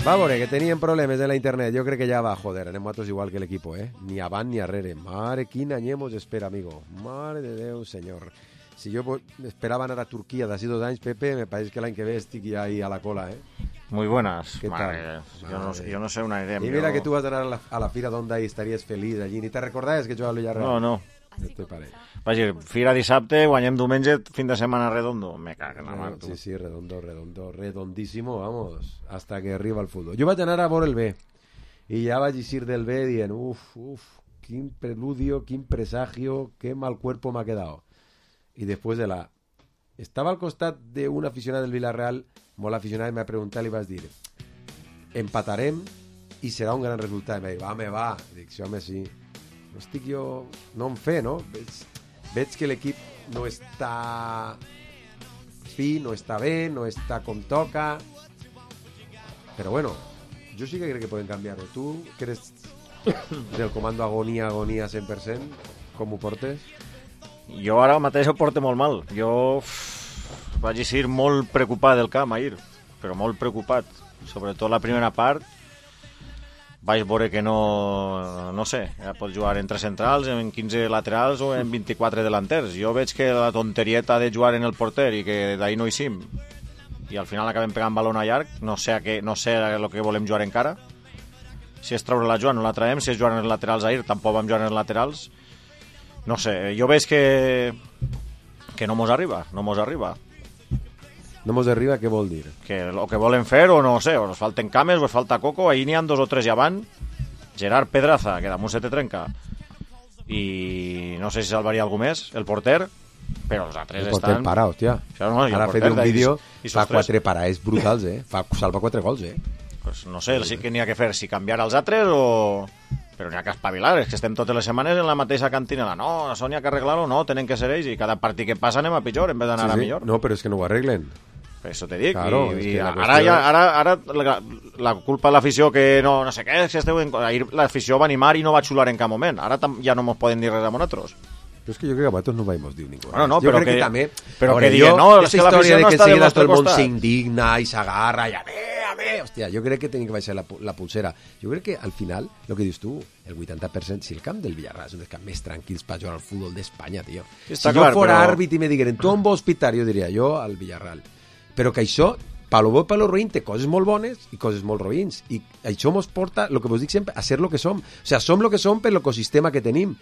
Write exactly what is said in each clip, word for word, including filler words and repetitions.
Va a veure, que tenien problemes en la internet. Jo crec que ja va, joder, anem nosaltres igual que l'equipo, eh? Ni avant ni arrere. Mare, quin any mos espera, amigo. Mare de Déu, senyor. Si jo esperava anar a Turquia d'ací dos anys, Pepe, me pareix que l'any que ve estic ja ahí a la cola, eh? Muy buenas. ¿Qué Madre, tal? Yo, no, yo no sé una idea. Y mira yo... que tú vas a anar a la, a la fira d'Onda i estaries feliç allí. Ni te recordaves que jugava al Villarreal? No, no. Estoy pare. Vaja, fira dissabte, guanyem diumenge, fin de setmana redondo. Me cago en la mar, tu. Sí, sí, redondo, redondo, redondísimo, vamos, hasta que arriba el fútbol. Jo vaig anar a veure el B, i ja vaig eixir del B dient, uf, uf, quin preludio, quin presagio, qué mal cuerpo me ha quedado. Y después de la... Estava al costat d'un aficionat del Villarreal, molt aficionat, i m'ha preguntat i vas dir, empatarem i serà un gran resultat. I m'ha dit, va, me va. Dic, sí, home, sí. No estic jo... No en fe, no? Veig, veig que l'equip no està fi, no està bé, no està com toca. Però bueno, jo sí que crec que poden canviar-ho. Tu, que eres del comando agonia, agonia cent per cent, com ho portes? Jo ara mateix ho porto molt mal. Jo uf, vaig ser molt preocupat del camp ahir, però molt preocupat. Sobretot la primera part, vaig veure que no, no sé, ja pots jugar en tres centrals, en quinze laterals o en vint-i-quatre delanters. Jo veig que la tonterieta de jugar en el porter i que d'ahir no hi sim, i al final acabem pegant balón a llarg, no sé a què, no sé el que volem jugar encara. Si és treure la Joan no la traiem, si és jugar en els laterals ahir tampoc vam jugar en els laterals. No sé, jo veig que que no mos arriba, no mos arriba. No mos arriba, què vol dir? Que el que volen fer, o no sé, o nos falten cames, o ens falta coco, ahir n'hi ha dos o tres ja van. Gerard Pedraza, que damunt se te trenca. I no sé si salvaria algú més, el porter, però els altres el porter estan... para, hòstia. Això no, ara ha fet un vídeo, i, i fa quatre parades brutals, eh? Fa, salva quatre gols, eh? Pues no sé, sí que n'hi ha que fer, si canviar els altres o... Però n'hi ha que espavilar, és que estem totes les setmanes en la mateixa cantina. No, això n'hi ha que arreglar-ho, no, tenen que ser ells, i cada partit que passa anem a pitjor en vez d'anar sí, sí. a millor. No, però és que no ho arreglen. Per això te dic, claro, i, i ara, qüestió... ja, ara, ara la, la culpa de l'afició que no, no sé què, si esteu en... ahir l'afició va animar i no va xular en cap moment, ara tam, ja no mos poden dir res a nosaltres. Però és que jo crec que a vosaltres no vam dir ningú. Bueno, no, jo però crec que, que també... Però veure, que diguen, no, és que l'afició no està del nostre costat. El món costat. s'indigna i s'agarra i a mi, a mi... Hòstia, jo crec que tenim que baixar la, la pulsera. Jo crec que al final, el que dius tu, el vuitanta per cent, si el camp del Villarreal és un dels camps més tranquils per jugar al futbol d'Espanya, tio. Sí, si clar, jo fora però... àrbit i me digueren, tu on vols pitar? Jo diria, jo al Villarreal. Però que això, per lo bo i per lo roïn, té coses molt bones i coses molt roïns. I això mos porta, el que vos dic sempre, a ser lo que som. O sea, som lo que som per l'ecosistema que tenim.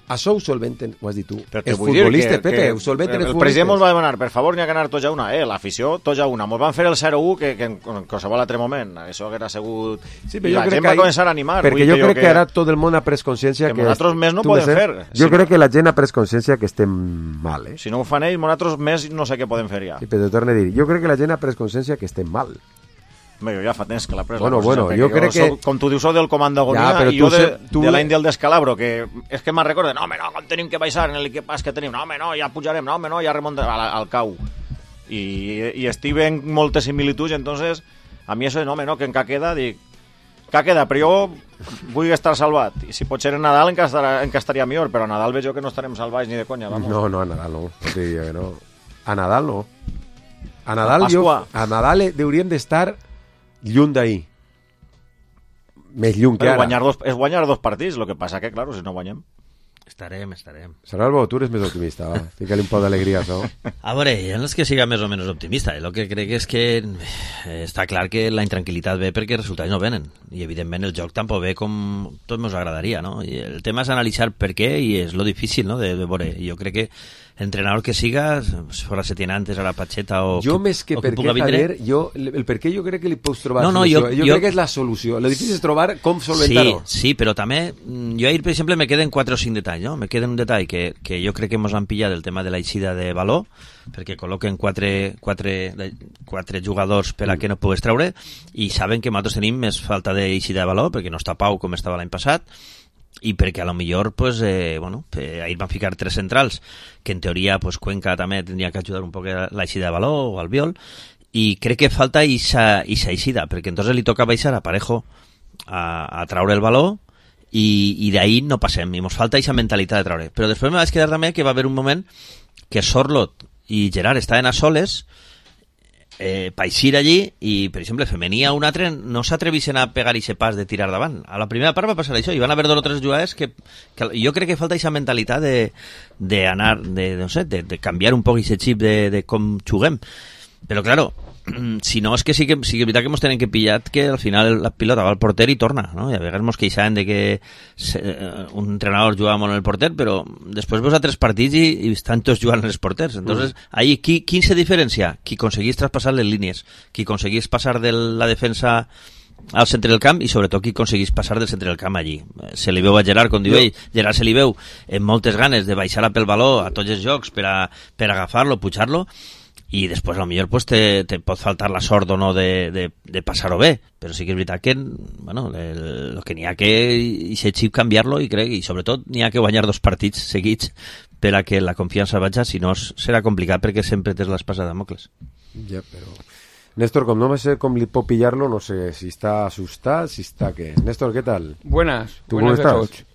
Això ho solventen, ho has dit tu, els futbolistes, Pepe, ho solventen els futbolistes. El president mos va demanar, per favor, n'hi ha que anar tots a una, eh, l'afició, tots a una. Mos van fer el zero u que, que en qualsevol altre moment, això haguera sigut... Sí, I la gent va començar a animar. Perquè jo crec que, que ara tot el món ha pres consciència que... Que nosaltres més no podem fer. Jo crec que la gent ha pres consciència que estem mal, eh? Si no ho fan ells, nosaltres més no sé què podem fer ja. Sí, però t'ho torno a dir, jo crec que la gent ha pres consciència que estem mal. Home, jo ja fa temps que l'ha pres bueno, la bueno, jo crec que... Soc, com tu dius, soc del comando agonia ja, i jo de, tu... de l'any del descalabro, que és que me'n recordo, no, home, no, com tenim que baixar en l'equipàs que tenim, no, home, no, ja pujarem, no, home, no, ja remuntem al, al cau. I, i estic en moltes similituds, entonces, a mi això de, no, home, no, que encara queda, dic, encara queda, però jo vull estar salvat. I si pot ser en Nadal encara, estarà, encara estaria millor, però a Nadal veig jo que no estarem salvats ni de conya, vamos. No, no, a Nadal no, sí, no. A Nadal no. A Nadal, a jo, a Nadal hauríem d'estar lluny d'ahir. Més lluny que ara. Guanyar dos, és guanyar dos partits, el que passa que, claro, si no guanyem... Estarem, estarem. Salvo, tu eres més optimista, va. Fica-li un poc d'alegria, això. A veure, ja no és que siga més o menys optimista. El que crec és que eh, està clar que la intranquil·litat ve perquè els resultats no venen. I, evidentment, el joc tampoc ve com tot ens agradaria, no? I el tema és analitzar per què i és lo difícil, no?, de, de veure. Jo crec que entrenador que siga, fora Setién antes, ara Pacheta o... Jo, que, més que per què, Javier, jo, el per què jo crec que li pots trobar no, no, solució. Jo, jo, jo crec que és la solució. Lo difícil és trobar com solventar-ho. Sí, sí, però també, jo ahir, per exemple, me queden quatre o cinc detalls, no? Me queden un detall que, que jo crec que ens han pillat el tema de la eixida de valor, perquè col·loquen quatre, quatre, quatre jugadors per a que no pugues treure, i saben que nosaltres tenim més falta d'eixida de valor, perquè no està Pau com estava l'any passat, i perquè a lo millor pues, eh, bueno, eh, ahir van ficar tres centrals que en teoria pues, Cuenca també tindria que ajudar un poc a l'eixida de valor o al Biol, i crec que falta ixa, ixa eixida, perquè entonces li toca baixar a Parejo a, a traure el valor i, i d'ahir no passem, i ens falta ixa mentalitat de traure. Però després me vaig quedar també que va haver un moment que Sorlot i Gerard estaven a soles eh, pa eixir allí i, per exemple, femení a un altre no s'atreveixen a pegar ese pas de tirar davant. A la primera part va passar això, i van haver dos o tres jugades que, que jo crec que falta aquesta mentalitat de, de anar, de, no sé, de, de canviar un poc aquest xip de, de com juguem. Però, claro, si no, és que sí que, sí que és veritat que ens tenen que pillar que al final la pilota va al porter i torna, no? I a vegades ens queixaven de que se, un entrenador jugava molt en el porter, però després veus a tres partits i, i estan tots jugant en els porters. Entonces, mm. ahí, qui, qui se diferencia? Qui aconseguís traspassar les línies, qui aconseguís passar de la defensa al centre del camp i sobretot qui aconseguís passar del centre del camp allí. Se li veu a Gerard, com diu ell, Gerard se li veu amb moltes ganes de baixar pel baló a tots els jocs per, a, per agafar-lo, pujar-lo, i després a lo millor pues, te, te pot faltar la sort o no de, de, de passar-ho bé, però sí que és veritat que bueno, el, el que n'hi ha que aquest xip canviar-lo i crec, i sobretot n'hi ha que guanyar dos partits seguits per a que la confiança vaja, si no serà complicat perquè sempre tens l'espasa de Damocles. Ja, però... Néstor, com no sé com li pot pillar-lo, no sé si està assustat, si està què. Néstor, què tal? Buenas, tu buenas com a tots.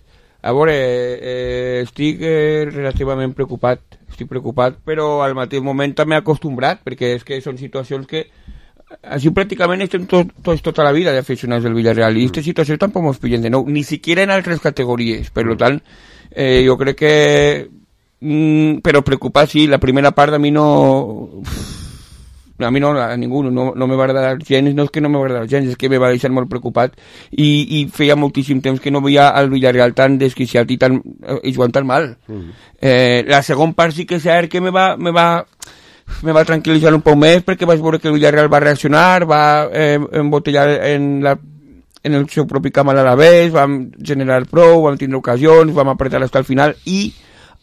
A veure, eh, estic eh, relativament preocupat, estic preocupat, però al mateix moment també acostumbrat, perquè és que són situacions que així pràcticament estem tots tot, tota la vida d'aficionats del Villarreal, i aquestes situacions tampoc ens pillen de nou, ni siquiera en altres categories, per tant, eh, jo crec que mm, però preocupat sí, la primera part a mi no... a mi no, a ningú, no, no me va agradar gens, no és que no me va agradar gens, és que me va deixar molt preocupat i, i feia moltíssim temps que no veia el Villarreal tan desquiciat i, tan, i jugant tan mal. Mm. Eh, la segona part sí que és cert que me va, me va, me va tranquil·litzar un poc més perquè vaig veure que el Villarreal va reaccionar, va eh, embotellar en, la, en el seu propi camp a l'Alavés, vam generar prou, vam tindre ocasions, vam apretar fins al final i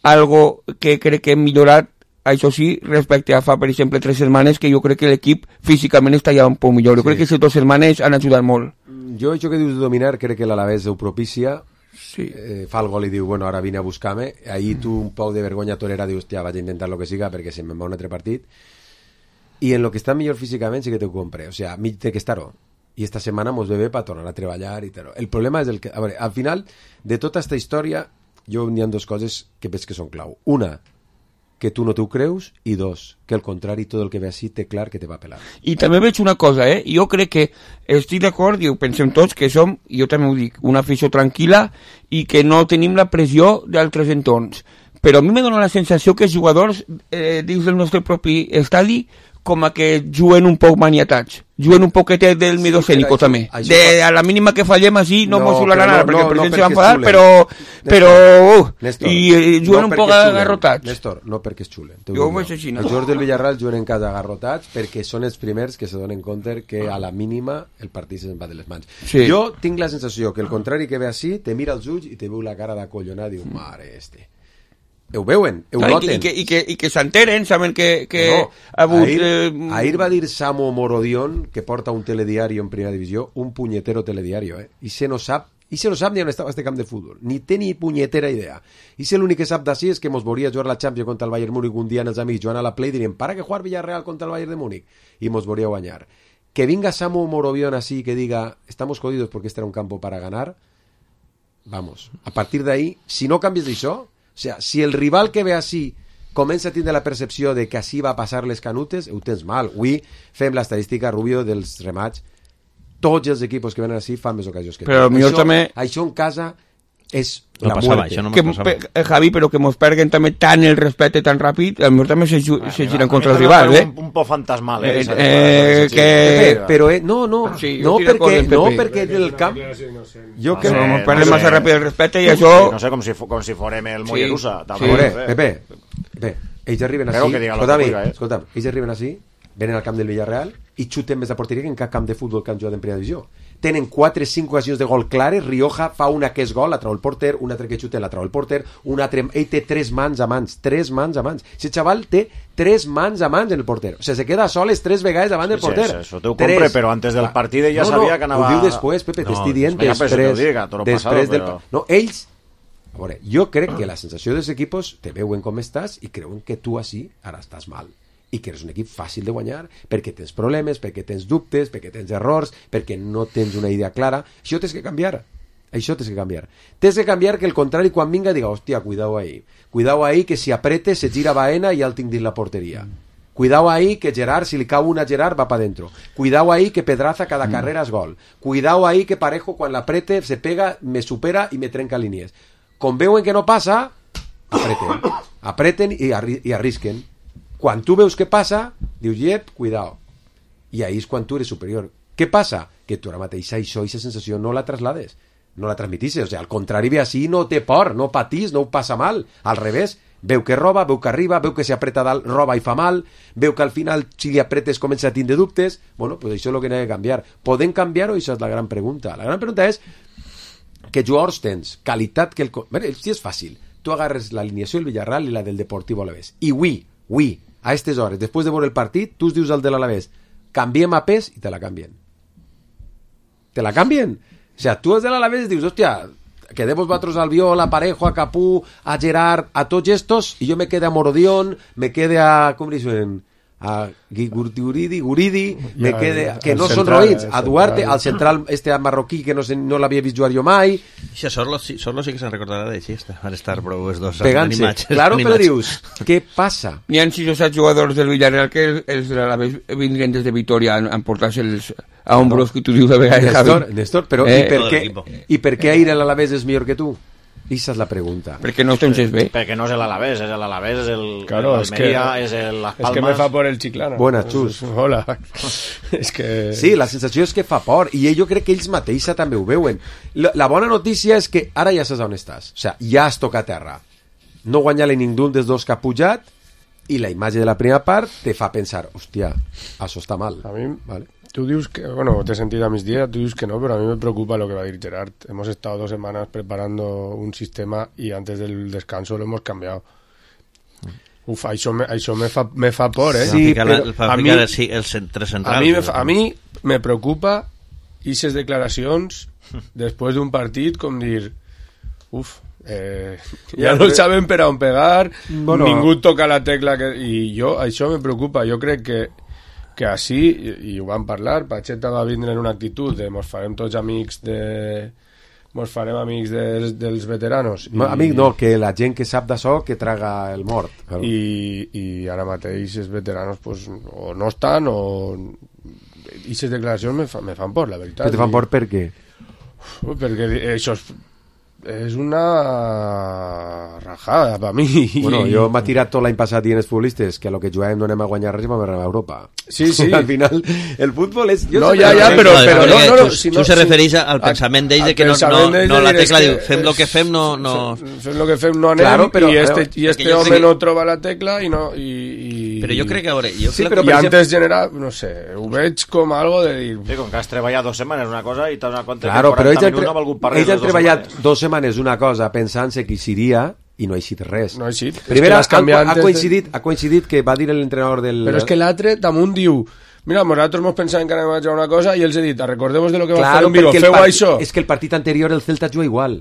algo que crec que hem millorat, això sí, respecte a fa, per exemple, tres setmanes, que jo crec que l'equip físicament està ja un poc millor. Jo sí. crec que aquestes dues setmanes han ajudat molt. Jo, això que dius de dominar, crec que l'Alavés ho propicia, sí. eh, fa el gol i diu, bueno, ara vine a buscar-me. Ahir tu un poc de vergonya torera dius, hòstia, vaig a intentar lo que siga perquè se me'n va un altre partit. I en lo que està millor físicament sí que t'ho compre. O sea, mig té que estar-ho. I esta setmana mos ve bé per tornar a treballar i tal. El problema és el que... A veure, al final de tota esta història, jo n'hi ha dues coses que veig que són clau. Una, que tu no t'ho creus, i dos, que al contrari, tot el que ve així té clar que te va pelar. I també veig una cosa, eh? Jo crec que estic d'acord, i ho pensem tots, que som, i jo també ho dic, una afició tranquil·la i que no tenim la pressió d'altres entorns. Però a mi me dona la sensació que els jugadors eh, dins del nostre propi estadi com a que juguen un poc maniatats, juguen un poquet del miedo sí, escènico també. Això, de, a la mínima que fallem així no, no mos xularà nada, perquè no, el president no se va enfadar, xulen. però, però uh, Néstor, i eh, juguen no un poc agarrotats. Néstor, no perquè es xulen. Jo ho veig així, no? Els jugadors del Villarreal juguen en casa agarrotats perquè són els primers que se donen compte que a la mínima el partit se'n va de les mans. Sí. Jo tinc la sensació que el contrari que ve així te mira els ulls i te veu la cara d'acollonada i diu, mare este. Ho veuen, ho noten. I que, i que, i que s'enteren, saben que, que no, ha hagut... Ahir, eh... ahir va dir Samu Morodion, que porta un telediario en primera divisió, un punyetero telediario, eh? I se no sap, i se no sap ni on estava este camp de futbol. Ni té ni punyetera idea. I se l'únic que sap d'ací és que mos veuria jugar la Champions contra el Bayern Múnich un dia en els amics jugant a la Play i dirien, para que jugar Villarreal contra el Bayern de Múnich. I mos veuria guanyar. Que venga Samu Morodion así que diga, estamos jodidos porque este era un campo para ganar, vamos. A partir de ahí, si no canvies d'això, o sea, si el rival que ve així comença a tindre la percepció de que així va passar les canutes, ho tens mal. Avui fem l'estadística, Rubio, dels remats. Tots els equipos que venen així fan més ocasions que però això, també... això en casa és no la passava, muerte. això no que, passava. eh, Javi, però que mos perguen també tant el respecte tan ràpid, a mi també se, ah, se giren contra el rival, eh? Un, un poc fantasmal, eh? eh, eh que... Pepe, però eh, no, no, sí, no perquè, no Pepe. perquè del camp... Jo que... No, no mos perguen sé. massa ràpid el respecte i això... No sé, com si, com si forem el Mollerussa. Sí. Sí. Veure, Pepe, Pepe, ells arriben Creo així... que diga lo Escolta'm, que diga, eh? escolta'm, ells arriben així, venen al camp del Villarreal i xuten més a porteria que en cap camp de futbol que han jugat en primera divisió. Tenen quatre o cinc ocasions de gol clares, Rioja fa una que és gol, la trau el porter, una altra que xuta, la trau el porter, una altra... Ell té tres mans a mans, tres mans a mans. Aquest xaval té tres mans a mans en el porter. O sigui, se queda soles tres vegades davant del porter. Sí, sí, això t'ho compre, però antes del partit ja no, sabia no, que anava... Ho diu després, Pepe, No, t'estic dient venga, pues, després... que ho diga, tot lo després pasado, del... però... No, ells... A veure, jo crec que la sensació dels equipos te veuen com estàs i creuen que tu així ara estàs mal. I que eres un equip fàcil de guanyar perquè tens problemes, perquè tens dubtes, perquè tens errors, perquè no tens una idea clara. Això tens que canviar. Això tens que canviar. Tens que canviar que el contrari quan vinga diga, hòstia, cuidao ahí. Cuidao ahí que si aprete se gira Baena i ja el tinc dins la porteria. Cuidado ahí que Gerard, si li cau una a Gerard, va para dentro. Cuidado ahí que Pedraza cada mm. carrera es gol. Cuidado ahí que Parejo quan l'aprete se pega, me supera i me trenca línies. Com veuen que no passa, apreten. Apreten i, arri i arrisquen. Quan tu veus que passa, dius, yep, cuidado. I ahí és quan tu eres superior. Què passa? Que tu ara mateix això, aquesta sensació no la traslades, no la transmitisses. O sigui, al contrari, ve així, no té por, no patís, no ho passa mal. Al revés, veu que roba, veu que arriba, veu que si apreta dalt, roba i fa mal, veu que al final, si li apretes, comença a tindre dubtes. Bueno, pues això és el que n'ha de canviar. Podem canviar-ho? Això és la gran pregunta. La gran pregunta és que jugadors tens qualitat que el... Bé, si és fàcil. Tu agarres l'alineació del Villarreal i la del Deportivo Alavés. I avui, avui, a aquestes hores, després de veure el partit, tu us dius al de l'Alavés, canviem a pes i te la canvien. Te la canvien. O sea, tu els de l'Alavés dius, hòstia, quedemos vosotros al Albiol, a Parejo, a Capú, a Gerard, a tots estos, y yo me quede a Morodión, me quede a... ¿Cómo dicen? A Guridi, Guridi, me quede... Que no són roïns. A Duarte, al central este marroquí que no, se, no l'havia vist jugar jo mai. Això, Sorlo, sí, Sorlo sí que se'n recordarà d'així, van estar prou els dos pegant-se. Claro, però dius, què passa? N'hi ha sis o set jugadors del Villarreal que els de l'Alavés vindrien des de Vitoria a emportar-se els a hombros que tu dius de vegades. Néstor, Néstor, però eh, i, per què, i per què Aire l'Alavés és millor que tu? Esa és la pregunta. Perquè no tens bé. Perquè no és l'Alavés, és l'Alavés, és el claro, el Almeria, és el Las Palmas. Es que me fa por el Chiclana. Buena, Xus. Hola. És que... Sí, la sensació és que fa por, i jo crec que ells mateixa també ho veuen. La, la bona notícia és que ara ja saps on estàs. O sigui, ja has tocat terra. No guanyar-li ningú dels dos que ha pujat, i la imatge de la primera part te fa pensar, hòstia, això està mal. A mi... Vale. Tú dices que, bueno, te he sentido a mis días, tú dices que no, pero a mí me preocupa lo que va a decir Gerard. Hemos estado dos semanas preparando un sistema y antes del descanso lo hemos cambiado. Uf, això me, això me, fa, me fa por, ¿eh? Sí, però a mi, el, el centre central. A mi, me, a mi me preocupa aquestes declaracions després d'un partit com dir, uf, eh, ja no saben per on pegar, bueno, ningú toca la tecla que... i jo, això me preocupa, jo crec que que així, i, i ho vam parlar, Pacheta va vindre en una actitud de mos farem tots amics de... mos farem amics dels, dels veteranos. I, Amic no, que la gent que sap d'això que traga el mort. Claro. I, I ara mateix els veteranos pues, o no estan o... I aquestes declaracions me, fa, me fan por, la veritat. Que te fan por per què? Uf, perquè això és... és una rajada per mi. Bueno, jo m'ha tirat tot l'any passat dient els futbolistes que a lo que juguem no anem a guanyar res i vam a Europa. Sí, sí. Al final, el futbol és... Jo no, ja, ja, però... però no, no, no, si no, se refereix al pensament d'ells de que no, no, no la tecla diu, fem el que fem, no... no... Fem el que fem, no anem, claro, però, i este, i este home que... no troba la tecla i no... I, i... Però jo crec que... A veure, jo sí, crec però que... I antes generar, no sé, ho veig com algo de dir... Sí, com que has treballat dos setmanes una cosa i t'has donat compte claro, que quaranta minuts no ha valgut per res. Ells han treballat dos setmanes una cosa pensant-se que seria i no ha eixit res. No ha eixit. Primer ha, ha, coincidit, de... ha coincidit que va dir l'entrenador del... Però és que l'altre damunt diu mira, nosaltres mos pensàvem que anem a jugar una cosa i els he dit, recordemos de lo que claro, va fer en Vigo, feu part... això. És que el partit anterior el Celta juga igual.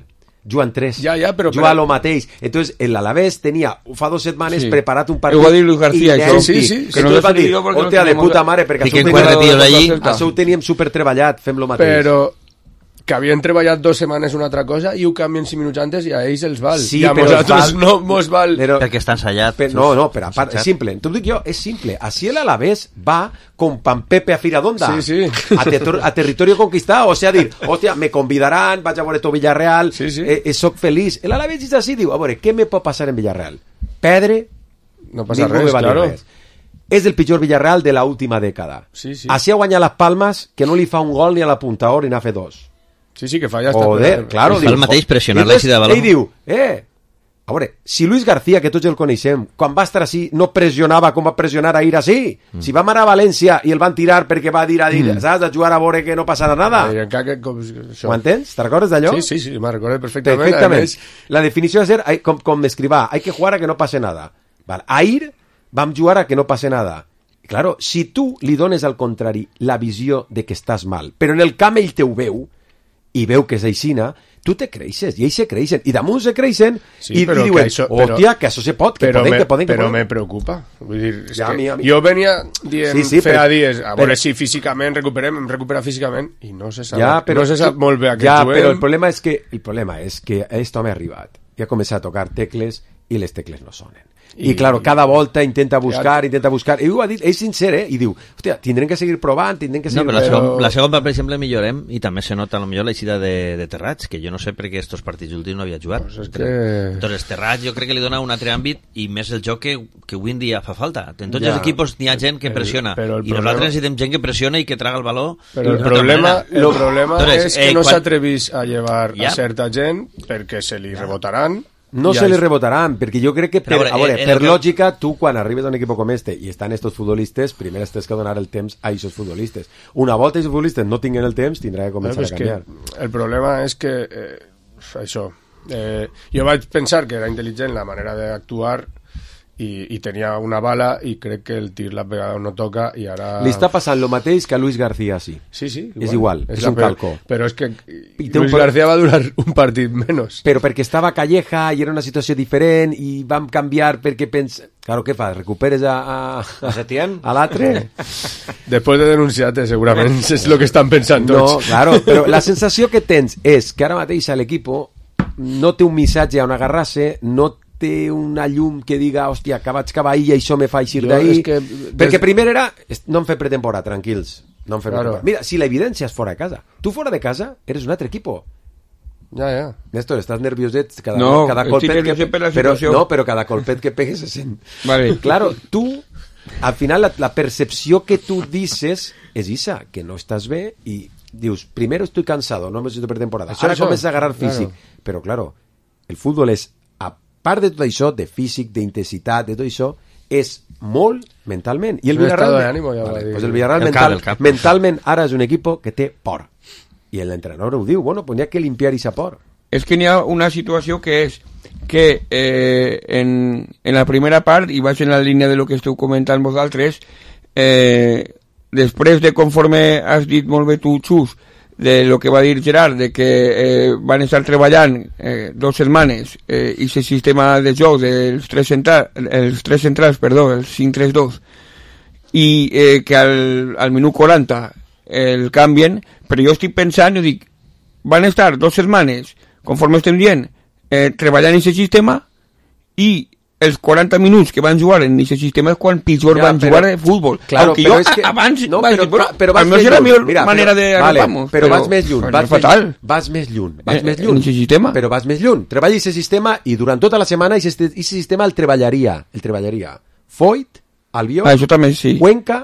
Juguen tres. Ja, ja, però... Juga però... lo mateix. Entonces, el Alavés tenia fa dos setmanes sí. preparat un partit... Ho va dir Luis García, això. Sí, sí, sí. Que no va dir, hòstia, de puta mare, perquè això ho teníem supertreballat, fem lo mateix. Però... que havien treballat dues setmanes una altra cosa i ho canvien cinc minuts antes i a ells els val. Sí, i a nosaltres val, no mos val. Però, perquè està ensayat. Per, no, no, però a part, és simple. T'ho dic jo, és simple. Així l'Alavés va con Pampepe a Firadonda. Sí, sí. A, ter a territorio conquistado. O sea, dir, hòstia, me convidaran, vaig a veure tot Villarreal, sí, sí. Eh, eh, soc feliç. L'Alavés és així, diu, a veure, què me pot passar en Villarreal? Pedre, no passa res, claro. Res. És el pitjor Villarreal de l'última dècada. Sí, sí. Així ha guanyat les Palmes, que no li fa un gol ni a la puntador ni n'ha fet dos. Sí, sí, que falla hasta... Joder, claro. Fa el mateix pressionar l'eixida de baló. Ell diu, eh, a veure, si Luis García, que tots el coneixem, quan va estar així, no pressionava com va pressionar ahir així. Mm. Si va anar a València i el van tirar perquè va dir a dir, mm. saps, a jugar a veure que no passarà nada. Eh, que, com, Ho entens? Te'n recordes d'allò? Sí, sí, sí, me'n recordo perfectament. Perfectament. Més... La definició de ser, com, com m'escrivà, hay que jugar a que no pase nada. Vale. Ahir vam jugar a que no pase nada. Claro, si tu li dones al contrari la visió de que estàs mal, però en el camp ell te ho veu, i veu que és aixina, tu te creixes, i ells se creixen, i damunt se creixen, sí, i, i diuen, que això, però, hòstia, que això se pot, que però poden, me, que poden, que però poden. me preocupa. Vull dir, és ja, que mi, mi. jo venia dient sí, sí, feia però, dies, a veure però, si físicament recuperem, em recupera físicament, i no se sap, ja, però, no se sap molt bé a què ja, juguem. Però el problema és que, el problema és que aquest home ha arribat i ha començat a tocar tecles i les tecles no sonen. I, I claro, cada volta intenta buscar, intenta buscar. I ho ha dit, és sincer, eh? I diu, hòstia, tindrem que seguir provant, tindrem que seguir... No, però la, segon, la segona, per exemple, millorem, i també se nota potser l'eixida de, de Terrats, que jo no sé per què estos partits últims no havia jugat. Pues es que... Entonces, Terrats jo crec que li dona un altre àmbit i més el joc que, que avui en dia fa falta. En tots ja. els equipos n'hi ha gent que pressiona, el, el i problema... nosaltres necessitem gent que pressiona i que traga el valor. Però el problema, el problema Entonces, és que eh, no quan... s'atrevís a llevar ja. a certa gent perquè se li rebotaran. No ja se és... li rebotaran, perquè jo crec que, per, a veure, a veure per que... lògica, tu quan arribes a un equip com este i estan estos futbolistes, primer has que donar el temps a aquests futbolistes. Una volta aquests futbolistes no tinguin el temps, tindrà que començar no, a canviar. El problema és que, eh, això, eh, jo vaig pensar que era intel·ligent la manera d'actuar i, i tenia una bala i crec que el tir l'ha pegada no toca i ara... Li està passant el mateix que a Luis García, sí. Sí, sí. Igual. És igual, és, és un calco. Però és que Luis García va durar un partit menys. Però perquè estava Calleja i era una situació diferent i vam canviar perquè pens... Claro, què fas? Recuperes a... A, a Setién? A l'altre? Després de denunciar-te, segurament és el que estan pensant tots. No, claro, però la sensació que tens és que ara mateix l'equip no té un missatge on agarrar-se, no té una llum que diga, hòstia, que vaig cavar ahir i això me fa eixir d'ahir. Que... Perquè des... primer era, no em fe pretemporada, tranquils. No em fe claro. Mira, si la evidència és fora de casa. Tu fora de casa eres un altre equipo. Ja, ja. Néstor, estàs nervioset cada, no, cada colpet que... Però, no, però cada colpet que pegues se sent. Vale. Claro, tu, al final, la, la percepció que tu dices és isa, que no estàs bé i dius, primero estoy cansado, no necesito pretemporada. Això, Ara comença a agarrar físic. Claro. Però, claro, el futbol és part de tot això, de físic, d'intensitat, de tot això, és molt mentalment. I el Villarreal, ja vale, pues el Villarreal el mental, cap, mentalment ara és un equip que té por. I l'entrenador ho diu, bueno, pues n'hi ha que limpiar aquesta por. És que n'hi ha una situació que és que eh, en, en la primera part, i vaig en la línia de lo que esteu comentant vosaltres, eh, després de conforme has dit molt bé tu, Xus, de lo que va dir Gerard, de que eh, van estar treballant eh, dos setmanes eh, i el sistema de joc dels tres, central, els tres centrals, perdó, els cinc tres dos, i eh, que al, al minut quaranta el canvien, però jo estic pensant i dic, van estar dos setmanes, conforme estem dient, eh, treballant en aquest sistema i els quaranta minuts que van jugar en aquest sistema és quan pitjor ja, van però, jugar de futbol. Claro, Aunque jo que, abans no, vaig però, dir, però, però vas més lluny. La millor mira, manera de vale, però, però vas més lluny. Vas, fatal. Més, vas més lluny. Vas eh, més lluny. En aquest sistema. Però vas més lluny. Treballa aquest sistema i durant tota la setmana aquest sistema el treballaria. El treballaria. Foyt, Albiol, ah, això també sí. Cuenca,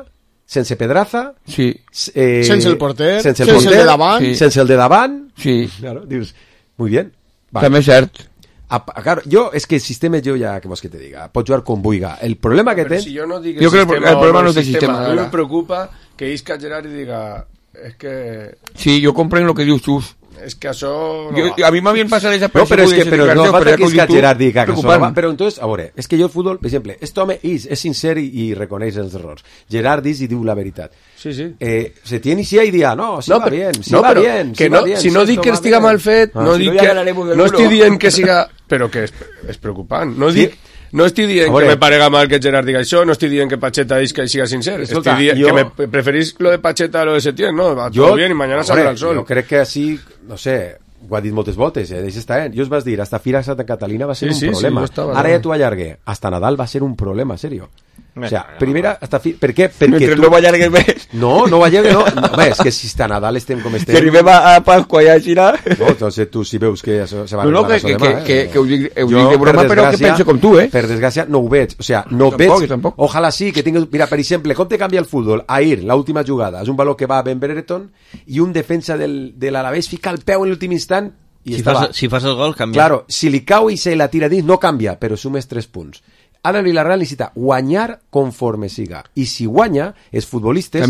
sense Pedraza, sí. eh, sense el porter, sense el, sense porter, el de davant, sí. sense el de davant. Sí. Claro, dius, muy bien. Vale. També és cert. A, claro, yo es que el sistema yo ya que más que te diga puedo jugar con buiga. El problema que tengo ten... si yo no digo yo creo que el problema no es del sistema, sistema. A mí me preocupa que Isca Gerard diga es que sí, yo comprendo lo que diu Xus. Es que això no yo, a mí más bien pasa esa no, pero es que pero no falta que Isca Gerard diga que això no va. Pero entonces, a veure, es que yo el fútbol, per exemple, este home és, és sincer i, i reconeix els errors. Gerard diz i diu la veritat. Sí, sí. Eh, se tiene inicia i dia, no, si no, va bien, si no, va però bien, que si no, va bien. Si no dic que estiga mal fet, ah, no si dic no que no estic dient que siga, però que és, és preocupant. No dic sí. No estic dient que me parega mal que Gerard diga això, no estic dient que Pacheta és que siga sincer, estic dient jo... que me preferís lo de Pacheta a lo de Setién, no, va jo... todo bien y mañana saldrá el sol. Jo crec que així, no sé, ho ha dit moltes voltes, eh? Deixa estar, eh? Jo us vas dir, hasta Fira Santa Catalina va ser sí, un sí, problema. Sí, ara ja t'ho allargué, hasta Nadal va ser un problema, serio. O sea, primera, hasta fi... Per què? Perquè Mentre tu... no ho allargues més. No, no ho allargues, no. no. Home, és que si està Nadal estem com estem... Si arribem a Pasqua i a Xina... No, entonces tu si veus que se va no, no, que, que, demà, eh? que, que ho dic, ho dic de broma, però que penso com tu, eh? Per desgràcia, no ho veig. O sea, no tampoc, veig... Tampoc. Ojalà sí, que tingues... Mira, per exemple, com te canvia el futbol? Ahir, l'última jugada, és un baló que va a Ben Brereton i un defensa del, de l'Alavés fica el peu en l'últim instant i si estava... Fas, si fas el gol, canvia. Claro, si li cau i se la tira dins, no canvia, però sumes tres punts. Ara el Villarreal necessita guanyar conforme siga. I si guanya, els futbolistes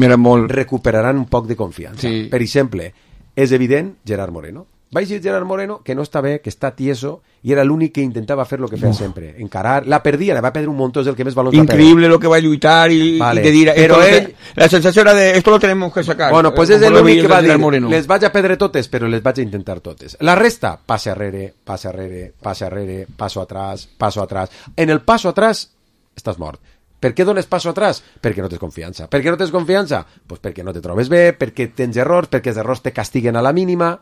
recuperaran un poc de confiança. Sí. Per exemple, és evident Gerard Moreno. Vaig dir Gerard Moreno que no està bé, que està tieso, i era l'únic que intentava fer lo que feia Uf. sempre. Encarar, la perdia, la va perdre un montón, és el que més balons va perdre. Increïble lo que va lluitar i, vale. i de dir... Però ell... Que, la sensació era de, esto lo tenemos que sacar. Bueno, pues és l'únic que va dir, Moreno. Les vaig a perdre totes, però les vaig a intentar totes. La resta, passe arrere, passe arrere, passe arrere, passo atrás, passo atrás. En el passo atrás, estàs mort. Per què dones passo atrás? Perquè no tens confiança. Per què no tens confiança? Pues perquè no te trobes bé, perquè tens errors, perquè els errors te castiguen a la mínima...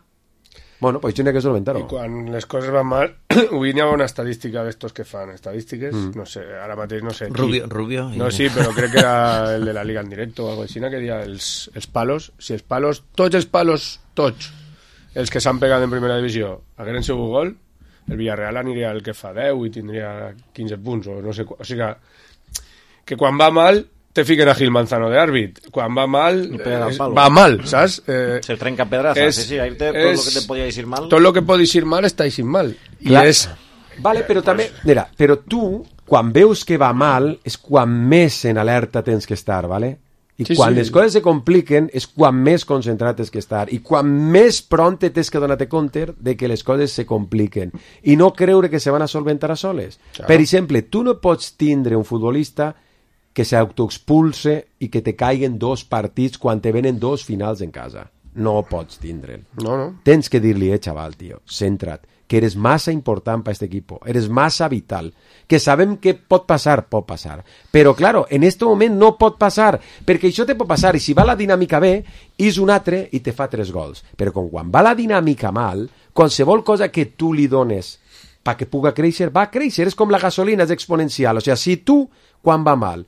Bueno, pues això n'hi ha que solventar-ho. I quan les coses van mal, avui n'hi ha una estadística d'estos que fan estadístiques, mm. no sé, ara mateix no sé qui. Rubio, Rubio. No, sí, però crec que era el de la Liga en directo o algo així, que dia els, els palos, si els palos, tots els palos, tots, els que s'han pegat en primera divisió, hagueren sigut gol, el Villarreal aniria el que fa deu i tindria quinze punts, o no sé, o sigui que, que quan va mal te fiquen a Gil Manzano de àrbit. Quan va mal, es, va mal, ¿sabes? Eh, Se trenca pedraza. Es, sí, sí, ahí te, todo es, lo que te podía decir mal. Todo lo que pot dir mal està dient mal. Clar. I és... Vale, però també... Mira, però tu, quan veus que va mal, és quan més en alerta tens que estar, ¿vale? I sí, quan sí. les coses se compliquen és quan més concentrat tens que estar. I quan més pront tens que donar-te compte de que les coses se compliquen. I no creure que se van a solventar a soles. Claro. Per exemple, tu no pots tindre un futbolista que s'autoexpulse i que te caiguen dos partits quan te venen dos finals en casa. No pots tindre'l. No, no. Tens que dir-li, eh, xaval, tio, centra't, que eres massa important per aquest equip, eres massa vital, que sabem que pot passar, pot passar. Però, claro, en este moment no pot passar, perquè això te pot passar, i si va la dinàmica bé, és un altre i te fa tres gols. Però com quan va la dinàmica mal, qualsevol cosa que tu li dones perquè puga créixer, va créixer, és com la gasolina, és exponencial. O sigui, si tu, quan va mal,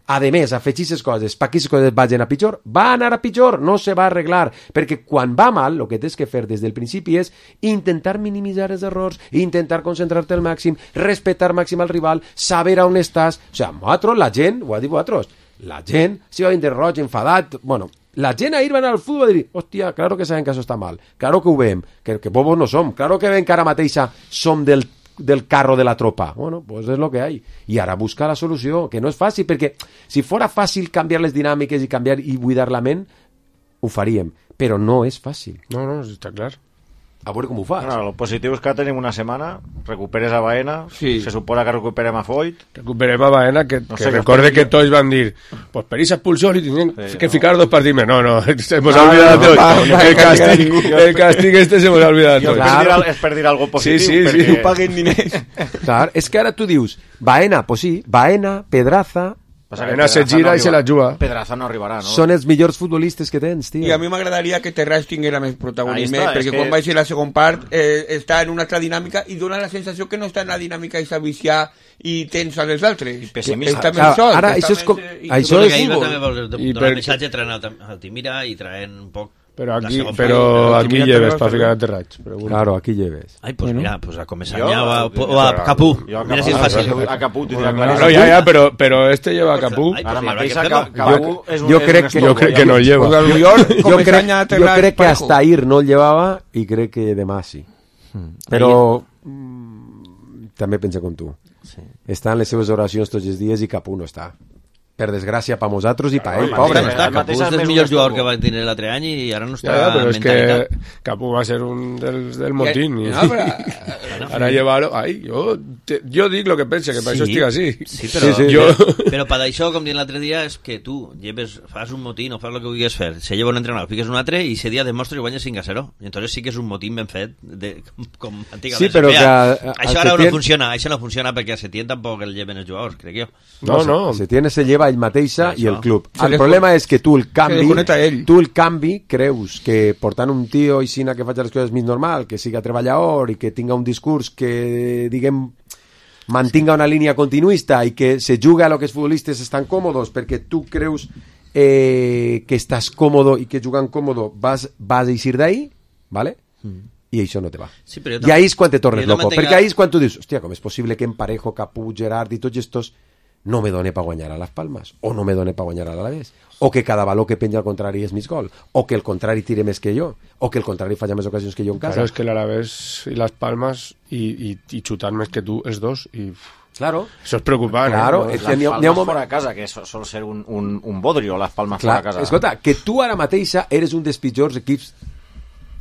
a més, afegir aquestes coses perquè aquestes coses vagin a pitjor, va anar a pitjor, no se va arreglar, perquè quan va mal, el que tens que fer des del principi és intentar minimitzar els errors, intentar concentrar-te al màxim, respectar màxim al rival, saber on estàs. O sigui, nosaltres, la gent, ho ha dit vosaltres, la gent, si va vindre roig, enfadat, bueno, la gent ahir va anar al futbol i dir, hòstia, claro que saben que això està mal, claro que ho veiem, que, que bobos no som, claro que ven que ara mateixa som del del carro de la tropa. Bueno, pues es lo que hay. I ara busca la solució, que no és fàcil, perquè si fora fàcil canviar les dinàmiques i canviar i buidar la ment, ho faríem, però no és fàcil. No, no, està clar. A veure com ho fas. Bueno, lo positiu és que tenim una setmana, recuperes a Baena, sí. Se suposa que recuperem a Foyt. Recuperem a Baena, que, no sé, que recorde que, que tots van dir, pues per esa expulsión y tienen sí, que no. ficar dos partidos. No, no, se hemos no, olvidado no, no, no, el, castigo, el castigo este se hemos olvidado. És claro. per, per dir algo positiu. Sí, sí, perquè... sí. No paguen diners. Clar, és que ara tu dius, Baena, pues sí, Baena, Pedraza... Baena se gira no i se la juga. Pedraza no arribarà, no? Són els millors futbolistes que tens, tio. I a mi m'agradaria que Terrats tinguera més protagonisme, està, perquè quan que... vaig a la segon part eh, està en una altra dinàmica i dona la sensació que no està en la dinàmica i viciar i tens a les altres. Pessimista. Està més sol. Ara, això és com... Això és... Ahir també vol donar el missatge traient al Timira i traient un poc... Pero aquí, pero aquí lleves para ficar a Terrats. Bueno. Claro, aquí lleves. Ay, pues bueno. Mira, pues a Comesaña o a, o a Capú. Mira si es fácil. A Capú tindrà bueno, claríssim. No, ya, ya, pero, pero este lleva a Capú. Ay, pues Ara mateix Capú és un... Jo crec que, yo crec que no el lleva. Yo crec, yo crec que hasta ir no el llevaba y crec que demà sí. Però mm, també pensa com tu. Sí. Està en les seves oracions tots els dies i Capú no està. Per desgràcia per nosaltres i per ell, pobre. No està, Capú és el millor jugador que va tenir l'altre any i ara no està ja, ja, però és que Capú va ser un dels, del motín i, no, però, ara llevar-lo ai, jo, te, jo dic el que pensa que per sí, això estic així sí, però, sí, sí, jo... però per això, com dient l'altre dia és que tu lleves, fas un motín o fas el que vulguis fer, se lleva un entrenador, fiques un altre i ese dia demostres que guanyes cinc a zero i entonces sí que és un motín ben fet de, com antigament sí, però que a, això ara no funciona, això no funciona perquè a Setién tampoc el lleven els jugadors, crec jo no, no, no. Setién se lleva ell mateixa i el club. Se el problema és que tu el canvi, tu el canvi creus que portant un tio i sina que faci les coses més normal, que siga treballador i que tinga un discurs que, diguem, mantinga una línia continuista i que se juga a lo que els futbolistes estan còmodos perquè tu creus eh, que estàs còmodo i que jugant còmodo vas, vas a eixir d'ahí, ¿vale? Mm. I això no te va. Sí, però I ahí és quan te tornes loco, mantenga... perquè ahí és quan tu dius, hòstia, com és possible que Emparejo, Capú, Gerard i tots estos no me done para guanyar a Las Palmas, o no me done para guanyar a l'Alavés, o que cada baló que penja al contrari és més gol, o que el contrari tire més que jo, o que el contrari falla més ocasions que jo en casa. Claro, és que l'Alavés i Las Palmas i, i, i xutant més que tu els dos i... Claro. Eso es preocupant. Claro, eh? Las Palmas ha, ha fora a casa, que sol ser un, un, un bodrio, Las Palmas Clar, fora a casa. Escolta, que tu ara mateixa eres un dels pitjors equips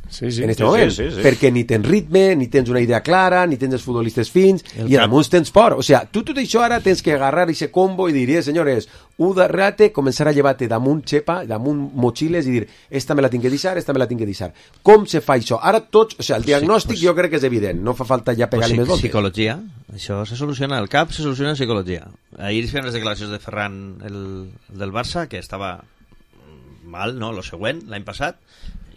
sí, sí, en este sí, moment, sí, sí, sí. perquè ni tens ritme, ni tens una idea clara, ni tens els futbolistes fins, el i a damunt tens por. O sea, tu tot això ara tens que agarrar ese combo i dir, eh, senyores, u darrere, començar a llevar-te damunt xepa, damunt motxiles i dir, esta me la tinc que deixar, esta me la tinc que deixar. Com se fa això? Ara tots, o sea, el diagnòstic sí, pues, jo crec que és evident, no fa falta ja pegar-li pues, més voltes. Psicologia, això se soluciona, el cap se soluciona en psicologia. Ahir feien les declaracions de Ferran, el, el del Barça, que estava mal, no?, lo següent, l'any passat,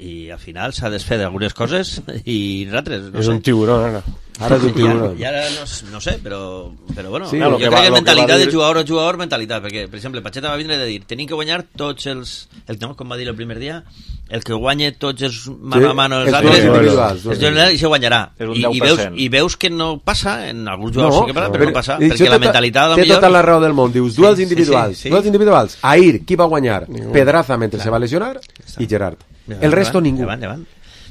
i al final s'ha desfet d'algunes coses i nosaltres, no és sé. un tiburón, ara. Ara és un tiburón. I ara, no, no sé, però, però bueno, Sí, jo lo crec que va- que lo que mentalitat va dir- de jugador a jugador, mentalitat, perquè, per exemple, Pacheta va vindre de dir, tenim que guanyar tots els, el, no, com va dir el primer dia, el que guanye tots els mano a mano els els altres, duels individuals, els duels i se guanyarà. És un I, deu i, per veus, cent. I veus que no passa, en alguns jugadors sí que passa, però no passa, i perquè això la té- mentalitat, té millor... tota la raó del món. Dius, duels Sí, sí, individuals. sí, sí. Duels individuals. Ahir, qui va guanyar? Pedraza mentre se va lesionar i Gerard. El resto ningú. Davant, davant.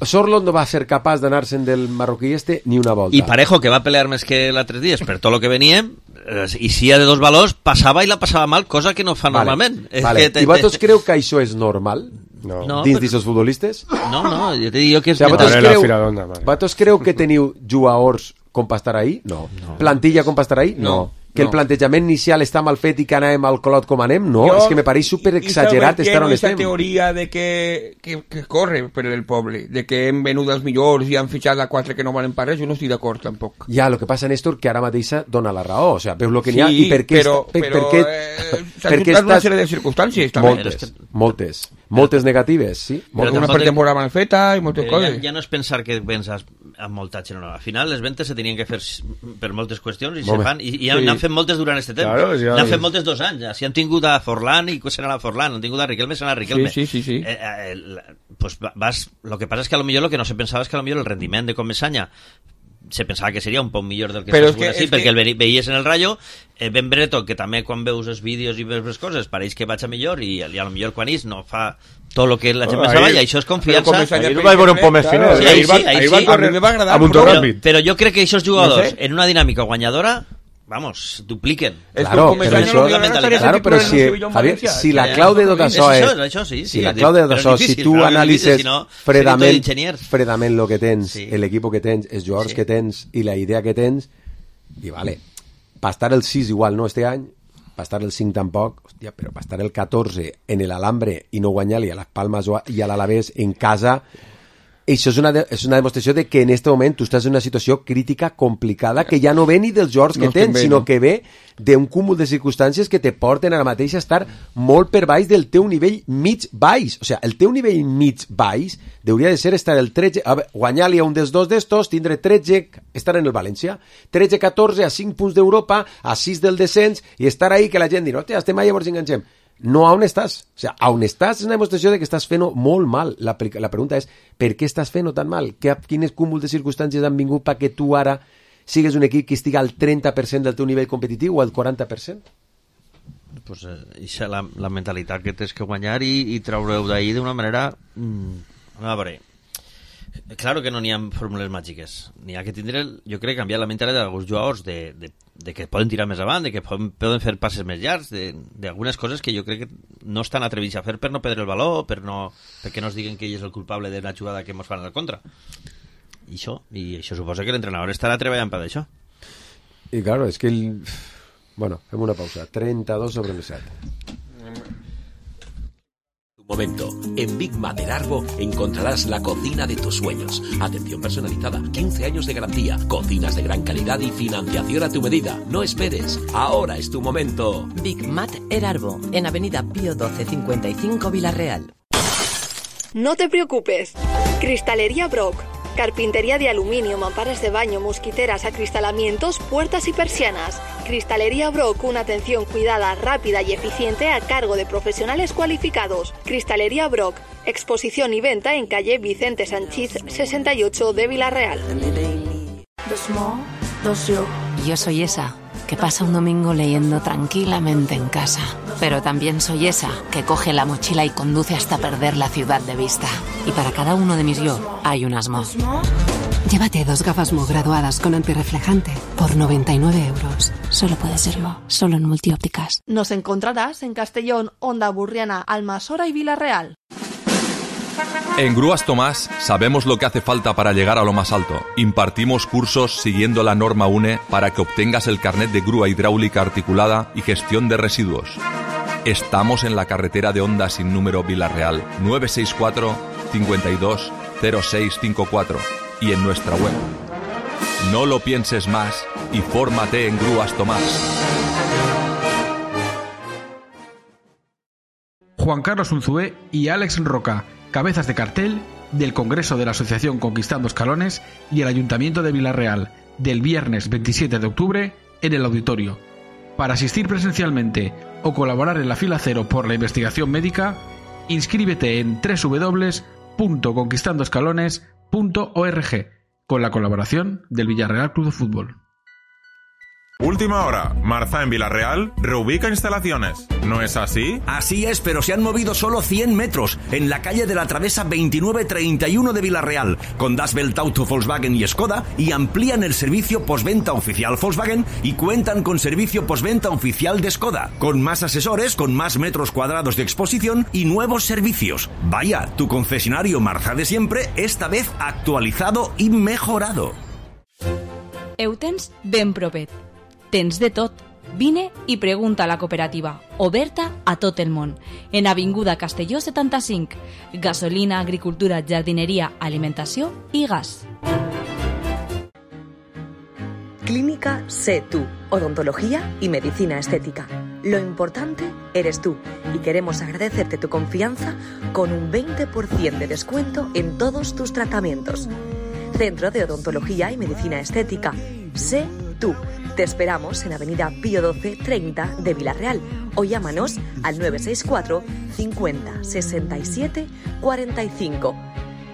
Sorlot no va ser capaç d'anar-se'n del marroquí este ni una volta. I Parejo, que va pelear més que l'altres dies per tot el que veníem, eh, i si hi ha de dos valors, passava i la passava mal, cosa que no fa Vale, normalment. És vale. que te- I vosaltres creu que això és normal No. No, dins però- d'aquests futbolistes? No, no, jo te dic que és... O sigui, vosaltres Vale, la creu, filadona, vale. vosaltres creu que teniu jugadors com per estar ahí? No. no. Plantilla com per estar ahí? No. No. Que el No. plantejament inicial està mal fet i que anàvem al colot com anem? No, Jo- és que me pareix super i- i exagerat sabeu estar què? on Esa estem. teoria de que, que, que corre per el poble, de que hem venut els millors i han fitxat a quatre que no valen per res, jo no estic d'acord tampoc. Ja, el que passa, Néstor, que ara mateixa dona la raó. O sea, veus el que n'hi ha Sí, i per què... però, està- per, però per què, eh, s'han per què juntat una estàs... sèrie de circumstàncies també. Moltes, És que- moltes. Moltes negatives, sí. Però Moltes. Una tampoc- pretemporada mal feta i moltes Però ja, coses. ja no és pensar que penses amb moltatge, no, no. Al final les ventes se tenien que fer s- per moltes qüestions i se Home. fan, i, i Sí. n'han fet moltes durant aquest temps. Claro, ja n'han és. fet moltes dos anys. Ja. Si han tingut a Forlán i serà a Forlán, han tingut a Riquelme, serà a Riquelme. Sí, sí, sí, sí. Eh, eh, la- pues va- vas, lo que pasa es que a lo millor lo que no se pensava és que a lo millor el rendiment de Comesaña se pensava que seria un poc millor del que Però és s'assegura que- sí, és perquè que- el ve- veies en el Rayo, eh, Ben Brereton, que també quan veus els vídeos i veus les coses pareix que vaig a millor i, i a lo millor quan és no fa tot el que la gent Oh, pensava ahir- i això és Però confiança. Comesaña, Ahir per vaig veure un exemple, poc més claro, final. Sí, ahir ahí va, sí, ahí ahir sí. va A córrer mi me va agradar, a punto però- Però, ràpid. però jo crec que aquests jugadors, No sé. en una dinàmica guanyadora, vamos, dupliquen. És Claro, com Comesaña però no això- li agrada estar Claro, ese però titular en si, el Sevilla o en Javier, València. si la Ja, clau de ja, tot ja. això És és... això, això sí, si sí, la sí, clau de tot però és això, difícil, si tu però és difícil, analitzes si no, seria tot fredament, d'enginyers. fredament el que tens, Sí. l'equip que tens, els jugadors Sí. que tens i la idea que tens, i vale, per estar el sis igual no este any, per estar el cinc tampoc, hòstia, però per estar el catorze en l'Alambre i no guanyar-li a les Palmes o a- i a l'Alavés en casa, això és una, de, és una demostració de que en aquest moment tu estàs en una situació crítica complicada que ja no ve ni dels jugadors que No estem tens, bé, sinó no? que ve d'un cúmul de circumstàncies que te porten ara mateix a estar molt per baix del teu nivell mig-baix. O sigui, el teu nivell mig-baix hauria de ser estar el tretze... A veure, guanyar-li a un dels dos d'estos, tindre tretze, estar en el València, tretze catorze a cinc punts d'Europa, a sis del descens, i estar ahí que la gent dirà, hòstia, estem ahí, llavors enganxem. No a on estàs. O sigui, a on estàs és una demostració de que estàs fent-ho molt mal. La, la pregunta és, per què estàs fent-ho tan mal? Que, quines cúmul de circumstàncies han vingut perquè tu ara sigues un equip que estigui al trenta per cent del teu nivell competitiu o al quaranta per cent? Pues, eh, ixa la, la mentalitat que tens que guanyar i, i treure-ho d'ahir d'una manera... Mm, a veure, claro que no n'hi ha fórmules màgiques. N'hi ha que tindre, jo crec, canviar la mentalitat d'alguns jugadors de, de, de que poden tirar més avant, de que poden, poden fer passes més llargs, d'algunes coses que jo crec que no estan atrevits a fer per no perdre el valor, per no, perquè no es diguen que ell és el culpable d'una jugada que ens fan al contra. I això, i això suposa que l'entrenador estarà treballant per això. I claro, és que el... Bueno, fem una pausa. trenta-dos sobre el set. Momento. En Big Mater Arbo encontrarás la cocina de tus sueños. Atención personalizada, quince años de garantía, cocinas de gran calidad y financiación a tu medida. No esperes, ahora es tu momento. Big Mater Arbo, en Avenida Pío doce cincuenta y cinco Villarreal. No te preocupes. Cristalería Brock. Carpintería de aluminio, mamparas de baño, mosquiteras, acristalamientos, puertas y persianas. Cristalería Brock, una atención cuidada, rápida y eficiente a cargo de profesionales cualificados. Cristalería Brock, exposición y venta en calle Vicente Sanchís sesenta y ocho de Villarreal. Yo soy esa que pasa un domingo leyendo tranquilamente en casa. Pero también soy esa que coge la mochila y conduce hasta perder la ciudad de vista. Y para cada uno de mis yo hay un Asmo. Llévate dos gafas Mo graduadas con antirreflejante por noventa y nueve euros. Solo puede ser Mo, solo en Multiópticas. Nos encontrarás en Castellón, Onda Burriana, Almasora y Villarreal. En Grúas Tomás sabemos lo que hace falta para llegar a lo más alto. Impartimos cursos siguiendo la norma U N E para que obtengas el carnet de grúa hidráulica articulada y gestión de residuos. Estamos en la carretera de Onda sin número Villarreal, nueve seis cuatro, cinco dos, cero seis cinco cuatro y en nuestra web. No lo pienses más y fórmate en Grúas Tomás. Juan Carlos Unzué y Alex Roca, cabezas de cartel del Congreso de la Asociación Conquistando Escalones y el Ayuntamiento de Villarreal, del viernes veintisiete de octubre en el auditorio. Para asistir presencialmente o colaborar en la fila cero por la investigación médica, inscríbete en doble u doble u doble u punto conquistando escalones punto org con la colaboración del Villarreal Club de Fútbol. Última hora. Marza en Villarreal reubica instalaciones. ¿No es así? Así es, pero se han movido solo cien metros en la calle de la Travesa veintinueve treinta y uno de Villarreal, con Das Welt Auto Volkswagen y Skoda, y amplían el servicio postventa oficial Volkswagen y cuentan con servicio postventa oficial de Skoda, con más asesores, con más metros cuadrados de exposición y nuevos servicios. Vaya, tu concesionario Marza de siempre, esta vez actualizado i mejorado. Eutens ben propet. Tens de tot. Vine i pregunta a la cooperativa, oberta a tot el món. En Avinguda Castelló setanta-cinc. Gasolina, agricultura, jardineria, alimentació i gas. Clínica Sé Tú, odontología y medicina estética. Lo importante eres tú y queremos agradecerte tu confianza con un veinte por ciento de descuento en todos tus tratamientos. Centro de Odontología y Medicina Estética. Sé Tú. Te esperamos en Avenida Pío doce treinta de Villarreal o llámanos al nueve seis cuatro cincuenta sesenta y siete cuarenta y cinco.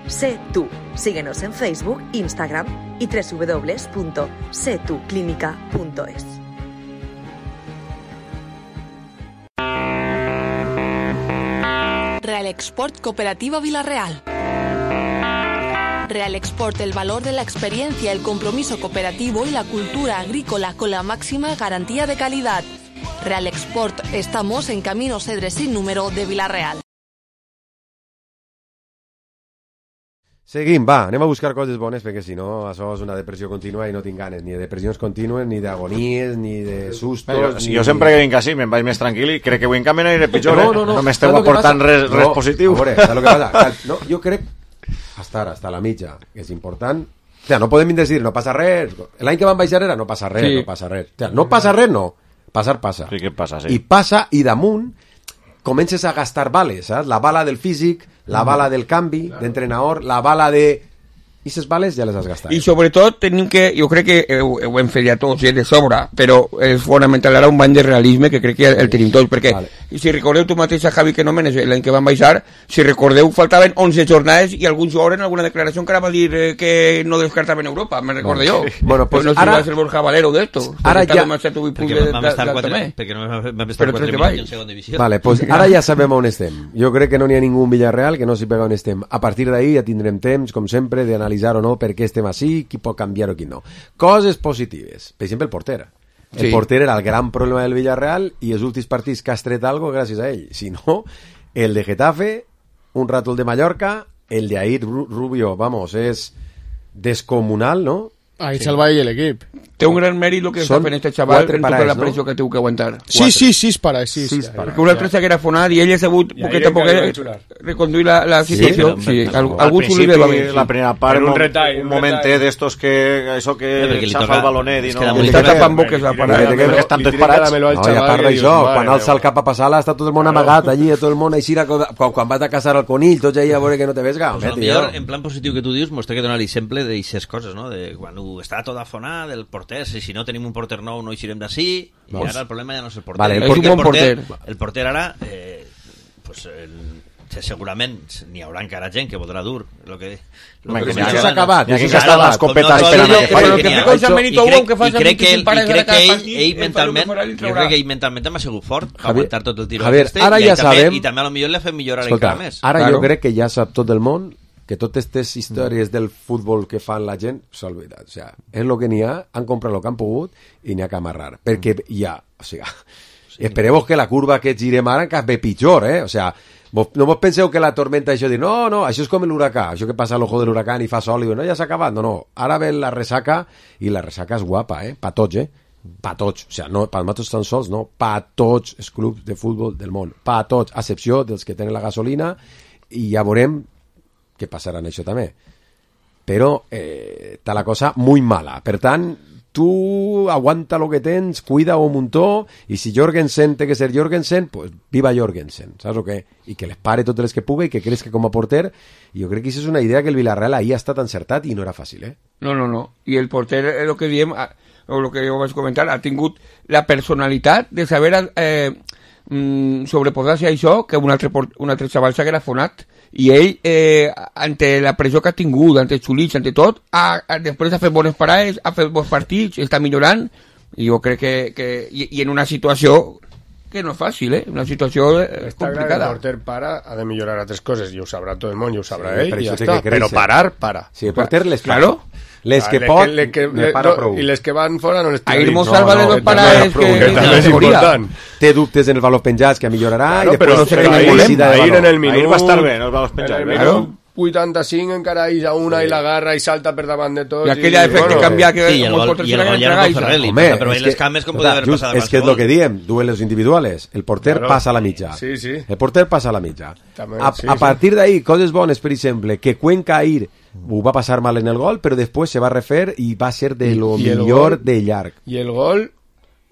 Sé Tú. Síguenos en Facebook, Instagram y doble u doble u doble u punto sé tú clínica punto es. Real Export Cooperativa Villarreal. Real Export, el valor de la experiencia, el compromiso cooperativo y la cultura agrícola con la máxima garantía de calidad. Real Export, estamos en Camino Cedre sin número de Villarreal. Seguim, va, anem a buscar coses bones perquè si no això és una depressió contínua i no tinc ganes ni de depressions contínues, ni d'agonies, ni de sustos... Jo, ni... jo sempre que vinc així me'n vaig més tranquil i crec que avui en canvi aniré pitjor, no, eh? no, no, no m'esteu aportant res, res no, positiu. A veure, saps el que passa? No, jo crec, hasta ara, hasta la mitja, que és important... O sea, no podem dir, no passa res. L'any que van baixar era no passa res, sí. no passa res. O sea, no passa res, no. Passar, passa. Sí que passa, sí. I passa, i damunt comences a gastar bales, saps? La bala del físic, la bala del canvi, claro. d'entrenador, la bala de... I aquestes bales ja les has gastat. I sobretot tenim que, jo crec que ho, ho hem fet ja tots, eh, de sobra, però és fonamental ara un bany de realisme que crec que el, el tenim tots, perquè vale. Si recordeu tu mateix a Javi que no menes l'any que van baixar, si recordeu faltaven onze jornades i algun jugador en alguna declaració que ara va dir eh, que no descartaven Europa, me recordo no, jo. Sí. Bueno, pues, pues no ara... si va ser Borja Valero d'esto. Ara ja... Perquè vam estar quatre minuts en segona divisió. Vale, pues ara ja sabem on estem. Jo crec que no n'hi ha ningú Villarreal que no s'hi pega on estem. A partir d'ahir ja tindrem temps, com sempre, d'analitzar o no per què estem així, qui pot canviar o qui no. Coses positives. Per exemple, el porter. El sí. porter era el gran problema del Villarreal i els últims partits que has tret algo gràcies a ell. Si no, el de Getafe, un rato el de Mallorca, el de Aid Rubio, vamos, és descomunal, no? Ahí sí. Salva ell l'equip. Té un gran mèrit el que està fent este xaval en tota la pressió no? que té que aguantar. Sí, sí, sis para sis. sis para. Perquè un altre s'haguera fonat i ell ha sabut poquet a poquet reconduir la, la situació. Sí, sí. Al, algú s'ho li va bé. La primera part, un, retall, un momentet d'estos que això que xafa el balonet i no... Li està tapant boques la parada. Que estan tots parats. No, i a part d'això, quan alça el cap a passar-la està tot el món amagat allí, tot el món així, quan vas a caçar el conill, tots allà a veure que no te vesga. En plan positiu que tu dius, mos té que donar l'exemple d'aixes coses, no? De quan està tot afonat, del porter, si no tenim un porter nou no eixirem d'ací, i ara el problema ja no és el porter. Vale, el, porter, el, porter, porter el porter ara eh, pues, el, segurament n'hi haurà encara gent que voldrà dur lo que, lo que, que això s'ha acabat, i aquí que està l'escopeta esperant que faci. I crec que ell mentalment jo crec que ell mentalment m'ha sigut fort per aguantar tot el tiro i també a lo millor l'ha fet millorar encara més. Ara jo crec que ja sap tot el món que totes aquestes històries del futbol que fan la gent s'ha oblidat. O sea, és el que n'hi ha, han comprat el que han pogut i n'hi ha que amarrar. Perquè hi ha... O sigui, sí. Esperemos que la curva que girem ara encara ve pitjor, eh? O sea, vos, no vos penseu que la tormenta això dir, no, no, això és com l'huracà, això que passa a l'ojo de l'huracà i fa sol i diu, no, ja s'ha acabat. No, no, ara ve la ressaca i la ressaca és guapa, eh? Pa tots, eh? Pa tots. O sea, no, pa nosaltres tan sols, no. Pa tots els clubs de futbol del món. Pa tots, a excepció dels que tenen la gasolina i ja veurem que passarà en això també. Però eh, està la cosa molt mala. Per tant, tú aguanta lo que tens, cuida un muntó, i si Jorgensen té que ser Jorgensen, pues viva Jorgensen, saps o què? I que les pare totes les que pugui, i que creix que com a porter, i jo crec que això és una idea que el Villarreal ahir ha estat encertat i no era fàcil, eh? No, no, no. I el porter, el que diem, o el que jo vaig comentar, ha tingut la personalitat de saber eh, mm, sobreposar-se a això, que un altre, un altre xaval s'haguera fonat, i ell, eh, ante la pressió que ha tingut, ante els xulits, ante tot, ha, ha, després ha fet bones parades, ha fet bons partits, està millorant, i jo crec que, que i, i en una situació que no és fàcil, eh? Una situació eh, Està clar que complicada. el porter para, ha de millorar altres coses, i ho sabrà tot el món, i ho sabrà Sí, ell, per i ja això té està. que créixer. Però parar, para. Sí, el porter les fa. Claro. Les que Ah, pot, les que, ne les, para no, prou. I les que van fora no les tira Ahir dins. mos No, salva no, de dos que parades també- que- que que també és categoria. important. Té dubtes en els valors penjats, que millorarà, Claro, i després però, no sé però quina ahir, necessitat de ahir valor. en el minut... Ahir va estar bé, no els valors en penjats. el bé. minut vuitanta-cinc encara hi ha una i la garra i salta per davant de tots. I aquella efecte bueno, canvia que Sí, i el molts gol, porters i el se gol l'han ja era entregat, con Ferrelli, Home, però és les que- cames com escolta, podia haver just, passat és que és el que diem, duelos individuales. El porter Claro. passa a la mitja. Sí, sí. El porter passa a la mitja. També, a, sí, a sí. partir d'ahí, coses bones, per exemple, que Cuenca ahir ho va passar mal en el gol, però després se va refer i va ser de lo I el millor gol- de llarg. I el gol,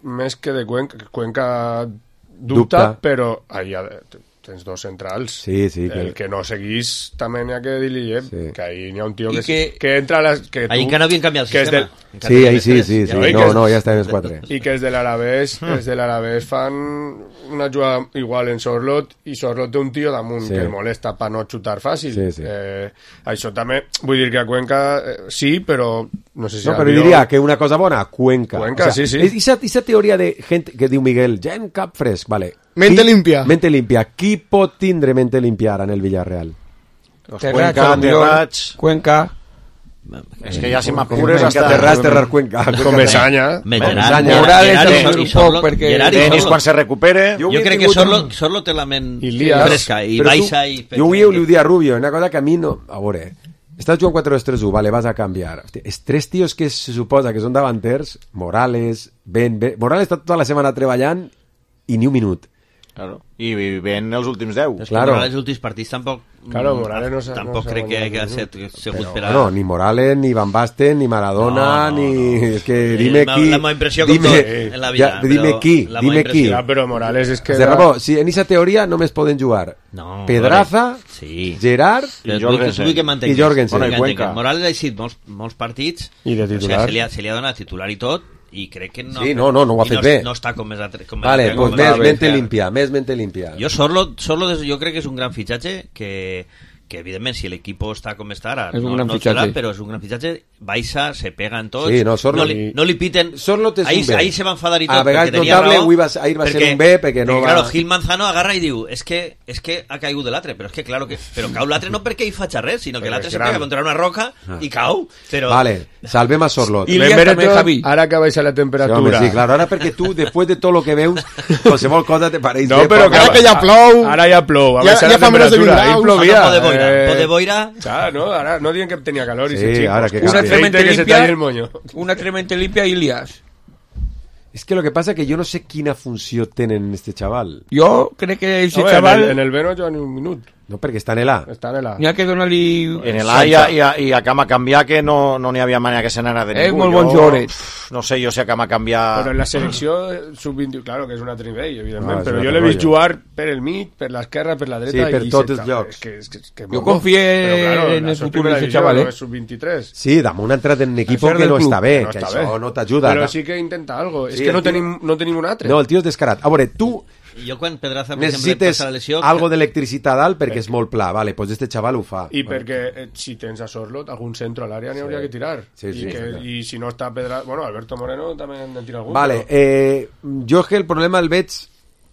més que de Cuenca, Cuenca dubta, Dubta. però ahí ha de- tens dos centrals. Sí, sí, que- El que no seguís també n'hi ha que dir-li, eh? Sí. Que ahí n'hi ha un tio I que, que- que entra a les... Que Ahí tu- encara no havien canviat el que és sistema. del- Encara Sí, no ahí havien sí, tres. sí, sí. Ja veig No, que- no, ja estem els quatre. I que els de l'Alavés els de l'Alavés fan una jugada igual en Sorlot i Sorlot té un tio damunt Sí. que el molesta per no xutar fàcil. Sí, sí. Eh, això també, vull dir que a Cuenca eh, sí, però no sé si No, a però millor- diria que una cosa bona, Cuenca. Cuenca, sí, sí. Esa teoria de gent que diu Miguel, ja en cap fresc, vale. Mente Qui- limpia. Mente limpia. Qui pot tindre mente limpia ara en el Villarreal? Los Terrats, Cuenca, millor, Terrats... Cuenca. És que ja si m'apures Cuenca, hasta... Terrats, Terrar, Cuenca. Com Mesaña. Me Mesaña. Gerard, Morales Gerard, ha i sigut un Sorlo- poc perquè- Gerard i Denis Sorlo. quan se recupere... Jo Jo he crec que tingut Sorlo, un- Sorlo té la ment Ilías. fresca i Però baixa tu- i... Jo avui li ho dia a Rubio, una cosa que a mi no... A veure, estàs jugant quatre dos tres u, vale, vas a canviar. Hòstia, els tres tios que se suposa que són davanters, Morales, Ben, ben... Morales està tota la setmana treballant i ni un minut. Claro. I ven els últims deu. És que Claro. Morales, els últims partits tampoc... Claro, Morales no s'ha- Tampoc no s'ha crec que guanyat hagi ningú. sigut per a... No, ni Morales, ni Van Basten, ni Maradona, No, no, ni... no. És que Eh, dime la- qui... la meva impressió com dime, tot en la vida, ja, dime però qui, la dime meva qui. impressió. Ja, però Morales és que... De Rabó, si en aquesta teoria només poden jugar No, Pedraza, sí. Gerard Però I vull que- Jorgensen. vull que m'entenguis. I Jorgensen. Vull que Bueno, i Cuenca. m'entenguis. Morales ha sigut molts, molts partits I de o sigui, titular. se, li ha, se li ha donat titular i tot i crec que no... Sí, no, no, no ho ha i fet no, bé. No està com més altre... Com Vale, altre- pues com més altre- mente limpia, més mente limpia. Jo Sorlo, Sorlo des- jo crec que és un gran fitxatge que, que evidentment si l'equip està com està ara És un no, gran no fitxatge. serà, però és un gran fitxatge, baixa, se pega en tots Sí, no, Sorlo- no, li, no li piten Sorlo és ahir, un bé. ahir se va enfadar i A tot vegades perquè tenia notable, raó, avui va- ahir va ser un bé perquè no va- claro, Gil Manzano agarra i diu és que, és que ha caigut de l'altre però és que claro que però cau l'altre no perquè hi faig res sinó que Perquè l'altre és se gran. pega contra una roca i cau però Vale, salvem a Sorlot. I Ben Ilías també, Beretot, Javi. ara que baixa la Sí, temperatura. home, sí, claro, ara perquè tu, després de tot lo que veus, qualsevol cosa te pareix No, bé, però perquè- Ara que ja plou... Ara ja plou, ha Ja- baixat ja la fa menys de vint temperatura. Ahir graus. plovia. Ara pode boira, eh, pode boira. Clar, no, ara no diuen que tenia calor i Sí, se xingos. ara que Una canvi. tremenda que se limpia. talli el moño. Una tremenda limpia i Ilías. És que lo que passa que jo no sé quina funció tenen este chaval. Jo crec que ese Home, xaval en, el, en el B no juga ni un minut. No, perquè està en l'A. Està en l'A. n'hi ha que donar-li... En el A i a, i a, i a Cama canviar que no no n'hi havia manera que se n'anara de És ningú. molt bon Jo, jugador. pf, No sé jo si a Cama canviar... Però en la selecció eh, sub vint, claro que és un altre nivell, evidentment, Ah, és però un jo altre l'he vist rotllo. jugar per el mig, per l'esquerra, per la dreta... Sí, per i tots se- els llocs. És que, és que, és que Jo molt confie bo. Però, claro, en el això és futur primera d'ese divisió, chaval, no eh? és sub vint-i-tres. Sí, damunt ha entrat en un equip ser que del no club, està bé, no que està això bé. no t'ajuda. Però sí que intenta algo. És Sí, que el no tio- tenim, no tenim un altre. No, el tio és descarat. A veure, tu jo quan Pedraza per exemple, necessites passa la lesió algo d'electricitat dalt perquè és molt pla. Vale, pues este chaval ho fa. I perquè eh, si tens a Sorlot, algun centre a l'àrea n'hi hauria que tirar. Sí, sí, I, que, sí, clar. I si no està Pedra... Bueno, Alberto Moreno també en tira algun. Vale, però- eh, jo és que el problema el veig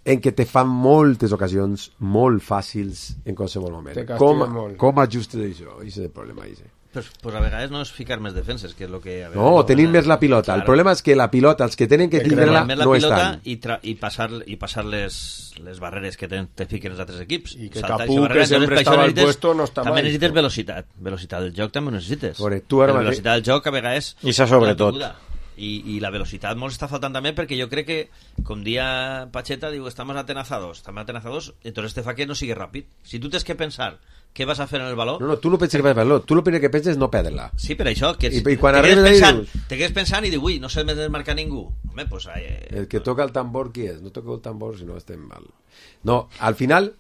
en què te fan moltes ocasions molt fàcils en qualsevol moment. Te castiguen Com, molt. com ajustes això? Això és el problema. Això. pues, pues a vegades no és ficar més defenses que és lo que a No, vegades, tenim més la pilota. El problema és que la pilota, els que tenen que tindre-la, més la no pilota estan. i, tra i passar, i passar les, les barreres que te, te fiquen els altres equips. I que Saltar Capú, eixa barrera, que sempre entonces, per estava això al necessites- puesto, no està també mai. necessites velocitat. Velocitat del joc també ho necessites. Veure, tu ara la mateix- velocitat del joc a vegades... I això sobretot. no t'ajuda. I, i la velocitat molt està faltant també perquè jo crec que, com dia Pacheta, diu, estamos atenazados, estamos atenazados, entonces te fa que no sigui ràpid. Si tu tens que pensar què vas a fer en el valor? No, no, tu no penses que vas a perdre, tu el primer que penses és no perdre-la. Sí, per això, que I, i quan te, arribes quedes ahí, pensant, dius... te quedes pensant i dius, ui, no s'ha de desmarcar ningú. Home, pues... Eh... El que toca el tambor, qui és? No toca el tambor si no estem mal. No, al final...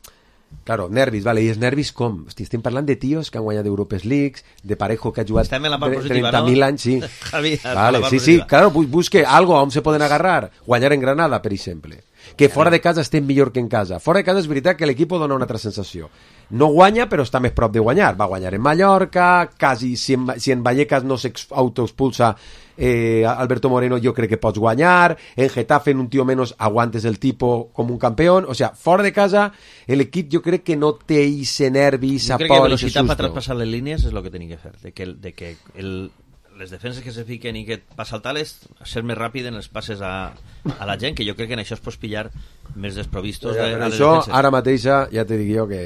Claro, nervis, vale, i els nervis com? Hosti, estem parlant de tios que han guanyat Europes Leagues, de Parejo que ha jugat trenta mil anys, sí. Javi, vale, sí, sí, claro, busque algo on se poden agarrar. Guanyar en Granada, per exemple. Que fora de casa estem millor que en casa. Fora de casa és veritat que l'equip dona una altra sensació. No guanya, però està més prop de guanyar. Va guanyar en Mallorca, quasi, si en, si en Vallecas no s'autoexpulsa eh, Alberto Moreno, jo crec que pots guanyar. En Getafe, en un tio menos, aguantes el tipo com un campeón. O sea, fora de casa, l'equip jo crec que no té ese nervi, esa por, ese susto. Jo crec que velocitat per traspassar les línies és el que tenia que fer. De que, de que el, les defenses que se fiquen i que passa el tal és ser més ràpid en els passes a, a la gent, que jo crec que en això es pots pillar més desprovistos de, de les això, defenses. Ara mateixa, ja te dic jo que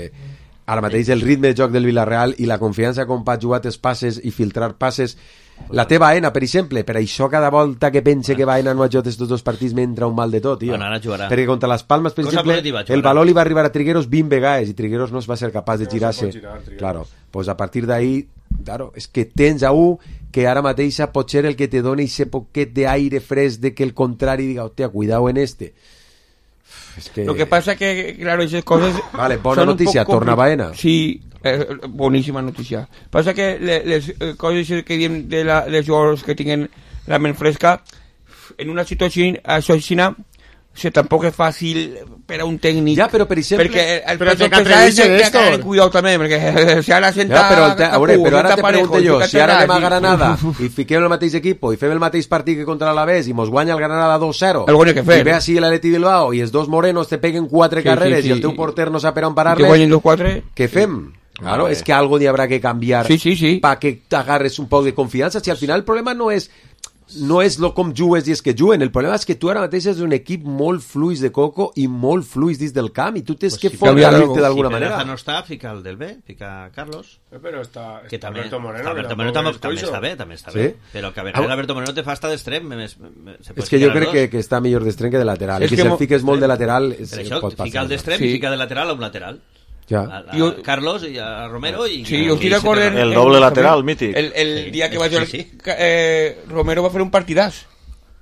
ara mateix el ritme de joc del Villarreal i la confiança com pot jugar els passes i filtrar passes, la teva Baena, per exemple, per això cada volta que pense que Baena no ha jugat estos dos partits m'entra un mal de tot, tio. Bueno, ara jugarà. Perquè contra les Palmes, per Cosa exemple, positiva, el valor li va arribar a Trigueros vint vegades i Trigueros no es va ser capaç de girar-se. Claro, pues a partir d'ahí, claro, és que tens a un que ara mateixa pot ser el que te dona ese poquet d'aire fresc de que el contrari diga, hòstia, cuidado en este. Es que... Lo que pasa que, claro, esas cosas... Vale, bona notícia, torna Baena. Sí, eh, boníssima notícia. Passa que les, les coses que diem de la, les jugadors que tinguen la ment fresca, en una situació així, se tampoc és fàcil per a un tècnic. Ja, però per exemple... Perquè el però té que pesar és atrevirse que d'esto. ha de cuidar també, perquè si ara senta... Ja, però, te, a veure, però ara te Parejo, pregunto jo, si ara anem a i- Granada i fiquem el mateix equip i fem el mateix partit que contra l'Alavés i mos guanya el Granada dos cero Algo n'hi ha que fer. i ve així l'Atleti Bilbao i els dos morenos te peguen quatre Sí, carreres sí, sí. i el teu porter no sap per on que parar-les, guanyen los quatre... què fem? Claro, Ah, és que algo n'hi haurà que canviar Sí, sí, sí. para que t'agarres un poc de confiança. Si al final el problema no és no és lo com jugues i és que juguen, el problema és que tu ara mateix és un equip molt fluix de coco i molt fluix dins del camp i tu tens Pues que si fortalecer-te d'alguna si manera. Peraza no està, fica el del B, fica Carlos. Però està, Que està també, Alberto Moreno. està Alberto que Moreno tampoc també, és també coixo. està bé, també està Sí? bé. Però que a veure, Alberto Moreno te fa estar d'extrem. me- me- me- se pot És que jo ficar crec els que, dos. que està millor d'extrem que de lateral. És I que, que si mo- el fiques molt de lateral és, Per això, pot passar. fica el d'extrem Sí. i fica de lateral a un lateral. Ja. A, a Jo- Carlos i a Romero i... Sí, jo estic i d'acord en... El en- doble en- lateral, mític. El, el Sí, dia que sí, va jugar... sí. Eh, Romero va fer un partidàs.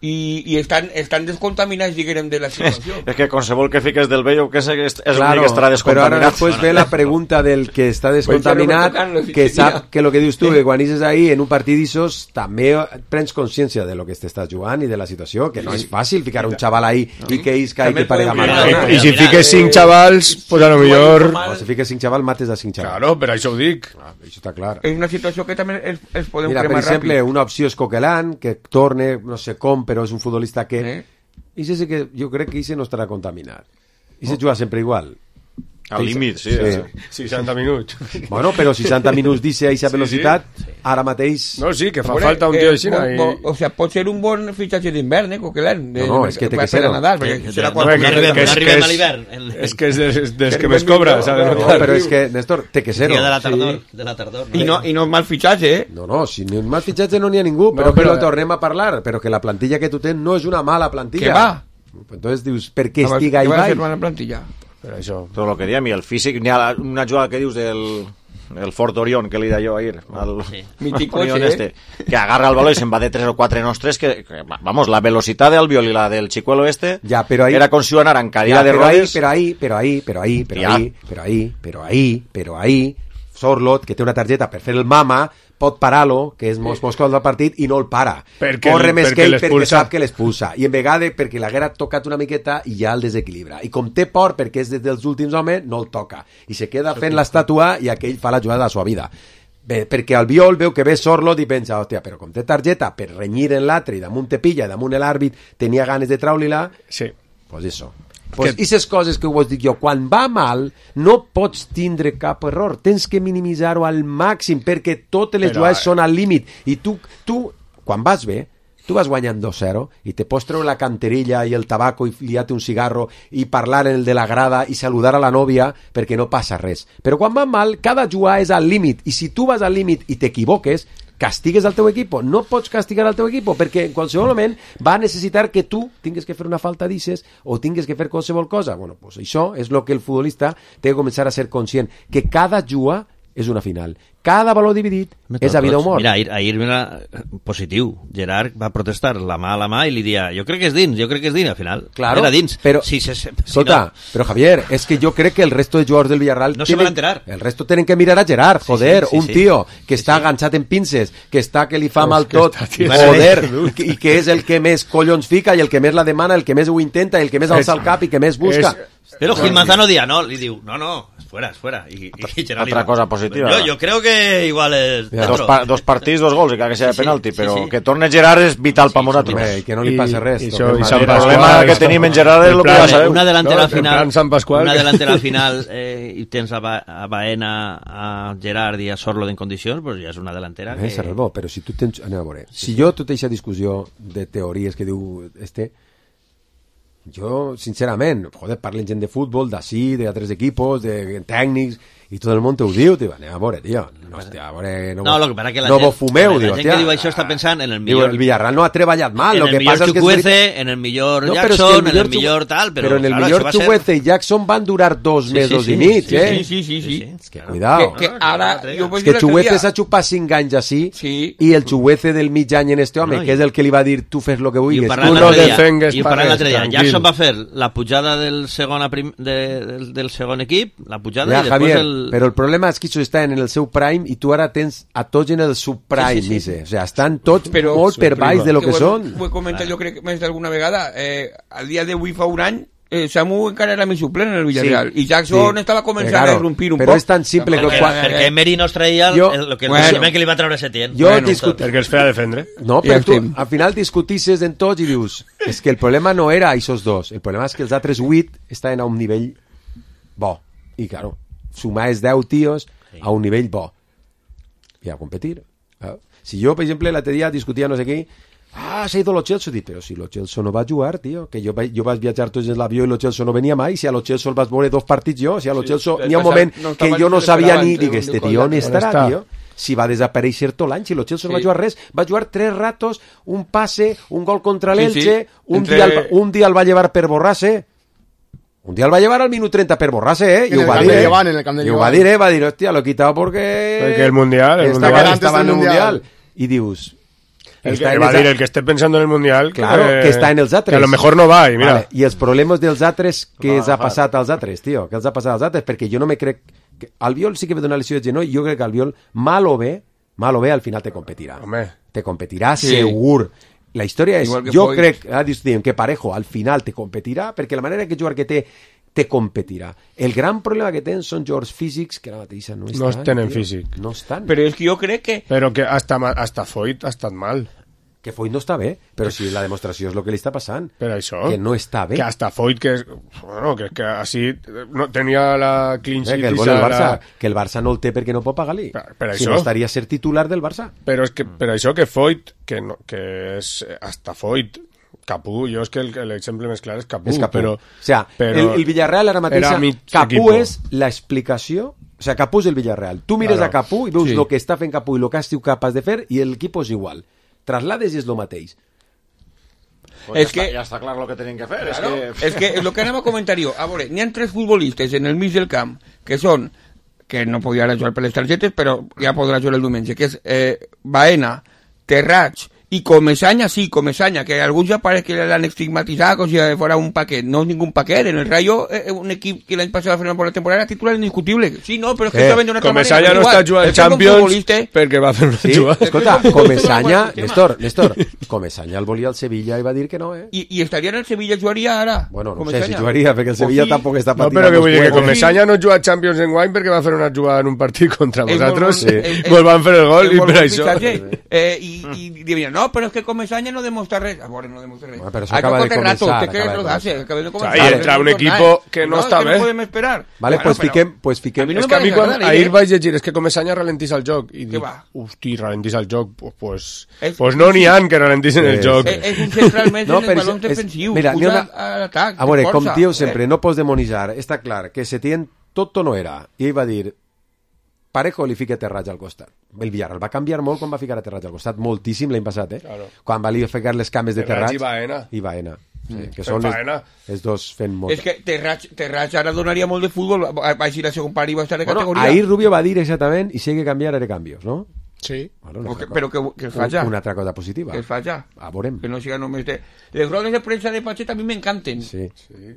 I, i estan, estan descontaminats, diguem, de la situació. És que qualsevol que fiques del B, jo que sé que és, és Claro, l'únic que estarà però ara descontaminat. després ve la pregunta del que està descontaminat, que sap que lo que dius tu, que quan ixes ahí en un partit d'ixos també prens consciència de lo que t'estàs jugant i de la situació, que no és fàcil ficar un xaval ahí i que isca i que parega Mira, Maradona. mira, I si mira, fiques eh, cinc xavals, pues a lo millor... O si fiques cinc xaval, mates a cinc xaval. Claro, per això ho dic. Ah, això està clar. És una situació que també es, es podem Mira, per cremar exemple, ràpid. una opció és Coquelin, que torne, no sé com, però és un futbolista que... Eh? I sé que jo crec que Ise no estarà contaminat. Ise juga sempre igual. Al límit, sí. Sí. seixanta minuts. Bueno, però seixanta minuts d'Ise a aquesta Sí, velocitat, ara mateix... No, sí, que fa Veure, falta un eh, tio així. bo- i- bo- O sea, pot ser un bon fitxatge d'hivern, eh, Coquelin. No, no, és que té que per ser-ho. a Nadal, Que- perquè que- serà no, quan... que- no arribem, que és- no arribem que a és- l'hivern. El- És que és dels, dels que El més ben cobra, millor, s'ha de no, No, notar. però és que, Néstor, té que ser-ho. Dia de la tardor, Sí. de la tardor. No? I no, i no mal fitxatge, eh? No, no, si ni un mal fitxatge no n'hi ha ningú, però, No, però, però- tornem a parlar, però que la plantilla que tu tens no és una mala plantilla. Que va? Entonces dius, per què Què estiga ahí va fer baix? una plantilla? Per això. Tot el que diem, i el físic, n'hi ha la- una jugada que dius del el Fort Orión, que li deia jo ahir, al, Sí. Mític al Orión coche, este, que agarra el balón y se va de tres o cuatro nostres, que, que, vamos, la velocidad del Albiol y la del Chicuelo este, Ya, pero ahí- era con si anar en cadira Ya, de pero ahí, rodes. pero ahí, pero ahí, pero ahí, pero Ja. ahí, pero ahí, pero ahí, pero ahí, Sorlot, que té una targeta per fer el mama, pot parar-lo, que és mos moscol del partit, i no el para. Perquè Corre el- més perquè que ell perquè l'expulsa. sap que l'expulsa. I en vegada perquè l'haguera tocat una miqueta i ja el desequilibra. I com té por, perquè és des dels últims homes, no el toca. I se queda fent l'estàtua i aquell fa la jugada de la sua vida. Bé, perquè el Biol veu que ve Sorlot i pensa, hòstia, però com té targeta per renyir en l'altre i damunt te pilla, i damunt l'àrbit tenia ganes de traure-la, Sí. pues eso. Pues que... aquestes coses que vos dic jo, quan va mal no pots tindre cap error, tens que minimitzar-ho al màxim perquè totes les Però, jugades eh, són al límit i tu, tu, quan vas bé tu vas guanyant dos zero i te pots treure la canterilla i el tabaco i liar-te un cigarro i parlar en el de la grada i saludar a la nòvia perquè no passa res, però quan va mal cada jugada és al límit i si tu vas al límit i t'equivoques castigues al teu equip. No pots castigar al teu equip, perquè en qualsevol moment va necessitar que tu tingues que fer una falta d'ixes o tingues que fer qualsevol cosa. Bueno, pues això és el que el futbolista té que començar a ser conscient, que cada juga és una final. Cada valor dividit és a vida o mort. Mira, ahir, ahir mira, positiu. Gerard va protestar la mà a la mà i li dia, jo crec que és dins, jo crec que és dins, al final. Claro, era dins. Pero, si se, si escolta, no... pero Javier, es que yo creo que el resto de jugadores del Villarreal no tienen, se van a enterar. El resto tienen que mirar a Gerard, joder, sí, sí, sí, un sí. tío que sí, està sí. enganxat en pinces, que està que li fa pues mal tot, joder, i que és el que més collons fica i el que més la demana, el que més ho intenta, el que més alça el cap i que més busca. Es, Pero Gil Manzano dia no, li diu, no, no, fuera, fuera. Y, y Gerard Otra cosa positiva. Yo, yo creo que igual es... Dos, pa, dos partits, dos gols, i que sea sí, penalti, sí, però sí, sí. que torne Gerard és vital sí, per nosaltres. I que no li passa res. I, i, això, i el problema que tenim en Gerard és el que ja sabeu. Una delantera no, final, Sant Pasqual, una que... delantera final eh, i tens a, ba a Baena, a Gerard i a Sorlo en condicions, pues ja és una delantera que... Eh, Serralbó, però si tu tens... Anem a veure. Si jo tota aquesta discussió de teories que diu este... Jo, sincerament, joder, parlen gent de futbol, d'ací, d'altres equipos, de tècnics, i tot el món te ho diu, tio, anem a veure, tio, no, hòstia, a veure, no, no, lo que passa que la no gent, vos fumeu, la diu, gent tia, que diu això està pensant en el millor... Diu, el Villarreal no ha treballat mal, en lo el que millor passa és que... Chukwueze, en el millor no, Jackson, el en el millor tal, però... Però en el claro, millor Chukwueze i Jackson van durar dos sí, mesos sí, sí, i mig, sí, eh? Sí, sí, sí, sí. És que, cuidao. Que, que ara... Jo és que Chukwueze s'ha xupat cinc anys així, sí. i el Chukwueze del mig any en este home, no, que és el que li va dir tu fes lo que vulguis. I ho parlant l'altre dia, Jackson va fer la pujada del segon, prim, de, del, del segon equip, la pujada ja, i després Javier, el... però el problema és que això està en el seu prime i tu ara tens a tots en el subprime, sí, sí, sí. O sigui, estan tots però, molt per baix de lo que, que són. Ho he comentat jo crec més d'alguna vegada, eh, al dia d'avui fa un any Eh, Samu encara era més suplent en el Villarreal sí, i Jackson sí, estava començant claro, a irrompir un però poc. És tan simple perquè, que quan... perquè Emery no es traia el, el, el, que, bueno, el que li va treure Setién. Jo bueno, discut... perquè els feia defendre. No, però tu al final discutisses en tots i dius és que el problema no era aquests dos, el problema és que els altres vuit estaven a un nivell bo i claro, sumaves deu tios sí. a un nivell bo i a competir. Si jo, per exemple, l'altre dia discutia no sé què, ah, s'ha ido lo Chelsea, dic, però si lo Chelsea no va jugar, tio, que jo, jo vaig viatjar tots en l'avió i lo Chelsea no venia mai, si a lo Chelsea el vas veure dos partits jo, si a lo Chelsea sí, n'hi ha un moment no que jo no sabia ni, dic, este tio on estarà, tio? Si va desaparèixer tot l'any, si lo Chelsea sí. no va jugar res, va jugar tres ratos, un passe, un gol contra l'Elche, sí, sí. un, Entre... dia el, un dia el va llevar per Borràs, un dia el va llevar al minut trenta per Borràs, eh? I ho va dir, eh? I ho va dir, eh? Va dir, hòstia, lo he quitado porque... Perquè el Mundial, el mundial estava en el Mundial. I dius... El que va a decir el que esté pensando en el Mundial claro, que, que está en els altres que a lo mejor no va i mira vale. I els problemes dels altres que els ha passat als altres, tio, que els ha passat als altres perquè jo no me crec que... Albiol sí que ve d'una lesió de genoll, jo crec que Albiol mal o bé, mal o bé al final te competirà Home. te competirà sí. segur. La història és, jo Foix. crec ah, diem, que Parejo al final te competirà perquè la manera que jugar que té te competirà. El gran problema que tenen són jugadors físics que ara mateixa no estan. No tenen tio. físic. No estan. Però és que jo crec que... Però que hasta, hasta Foyt ha estat mal. Que Foyt no està bé, però si la demostració és el que li està passant. Per això. Que no està bé. Que hasta Foyt, que, bueno, que, que així no, tenia la clean sheet... Eh, que, el el Barça, la... que el Barça no el té perquè no pot pagar-li. Per, per si això. no estaria a ser titular del Barça. Però és que per això que Foyt, que, no, que és hasta Foyt, Capú, jo és que l'exemple més clar és Capú, és Capú. Però, o sea, però el, el Villarreal ara mateixa, Capú equipo. És l'explicació, o sea, Capú és el Villarreal. Tu mires claro. a Capú i veus sí. el que està fent Capú i el que has sigut capaç de fer i l'equip és igual. Traslades i és el mateix. Pues es ja, que, està, ja està clar el que tenen que fer. Claro, és que... és que el que anem a comentar jo, a veure, n'hi ha tres futbolistes en el mig del camp que són, que no podien jugar per les targetes, però ja podrà jugar el diumenge, que és eh, Baena, Terrats y Comesaña, sí, Comesaña, que alguns ja parece que l'han estigmatitzat com si fora un paquet. No és ningún paquet. En el Rayo, eh, un equip que l'any passat va fer una bona temporada, titular indiscutible. Sí, no, però és que eh, està venint una altra manera. Comesaña no està jugant Champions perquè va fer una sí, jugada. Escolta, Comesaña, Néstor, Néstor, Comesaña el volia al Sevilla i va dir que no, eh? I, i estaria en el Sevilla, jugaria ara? Bueno, no Comesaña. sé si jugaria, perquè el Sevilla sí. tampoc està patint. No, però que vull dir que Comesaña no juga a Champions en guany perquè va fer una jugada en un partit contra vosaltres. Vos van fer el gol i per això. I diuen, no, però és que Comesaña no demuestra res. Ahora no demuestra res. Bueno, pero eso acaba de comenzar. Usted que lo hace, acaba de comenzar. Ahí entra un equipo que no, no està bé. No podem esperar. Vale, bueno, pues però... fiquem, pues fiquem. A mi no és que a mi quan ahir vaig llegir és que Comesaña ralentís el joc i dic, hosti, ralentís el joc, pues, pues, es, pues no n'hi han que ralentissin el joc. És, és un central més no, en els balons defensius. Mira, usa a l'atac. A veure, com diu sempre, no pots demonitzar. Està clar que Setién tot no era. I ell va dir, Parejo li fica Terrats al costat. El Villarreal va canviar molt quan va ficar a Terrats al costat, moltíssim l'any passat, eh? Claro. Quan valia ficar les cames de Terrats. Terrats i Baena. I Baena. Sí, Mm. que són Faena. els, els dos fent molt. És que Terrats, Terrats ara donaria molt de futbol, va va així la segon part i va estar de Bueno, categoria. ahir Rubio va dir exactament i si hay que canviar haré cambios, no? Sí. Bueno, una O que- altra però cosa. que, que fa ja. Una altra cosa positiva. Que fa ja. A veurem. Que no siga només de... Les rodes de premsa de Pachet a mi m'encanten. Sí.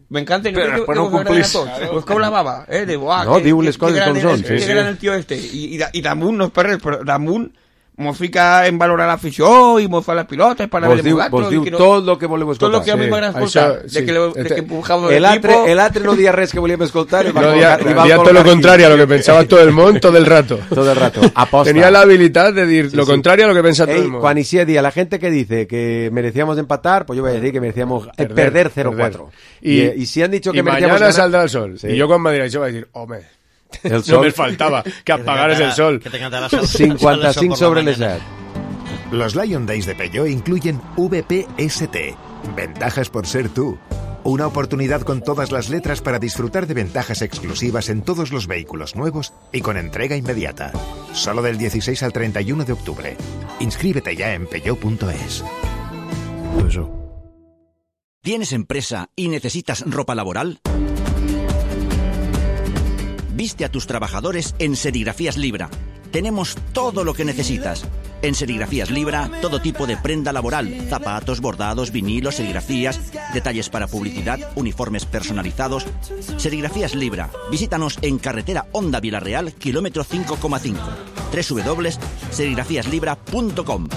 M'encanten. Però crec que- després que no us agraden complís. a tots. Claro. Us cau la bava, eh? De, buah, No, que- diu que- les que coses gran com és- són, Que sí, gran sí. el tio este. I, i, da- i damunt, no és per res, però damunt mos fica en valorar l'afició i mos fa les pilotes para Vos ver diu, el vos diu que no, tot el que voleu tot escoltar. el que a mi Sí. m'agrada Això, escoltar. sí. De que, lo, de Este- que empujamos el altre, el altre no dia res que volíem escoltar. No, dia, dia todo lo contrario a lo que pensaba todo el mundo todo el rato. Todo el rato. Aposta. Tenía la habilidad de decir Sí, lo sí. contrario a lo que pensaba todo Ey, el mundo. Quan ixia dia la gente que dice que merecíamos empatar, pues yo voy a decir que merecíamos eh, perder cero cuatro. Y, eh, y si han dicho que y merecíamos mañana ganar- saldrá el sol. Sí. Y yo cuando me dirá eso voy a decir, hombre, El no sol. me faltaba que apagares el sol. cincuenta y cinco sobre el set. Los Lion Days de Peugeot incluyen V P S T, ventajas por ser tú. Una oportunidad con todas las letras para disfrutar de ventajas exclusivas en todos los vehículos nuevos y con entrega inmediata. Solo del dieciséis al treinta y uno de octubre. Inscríbete ya en peugeot punto es. ¿Tienes empresa y necesitas ropa laboral? Viste a tus trabajadores en Serigrafías Libra. Tenemos todo lo que necesitas. En Serigrafías Libra, todo tipo de prenda laboral, zapatos, bordados, vinilos, serigrafías, detalles para publicidad, uniformes personalizados. Serigrafías Libra. Visítanos en carretera Honda Villarreal, kilómetro cinco coma cinco. doble u doble u doble u punto serigrafías libra punto com.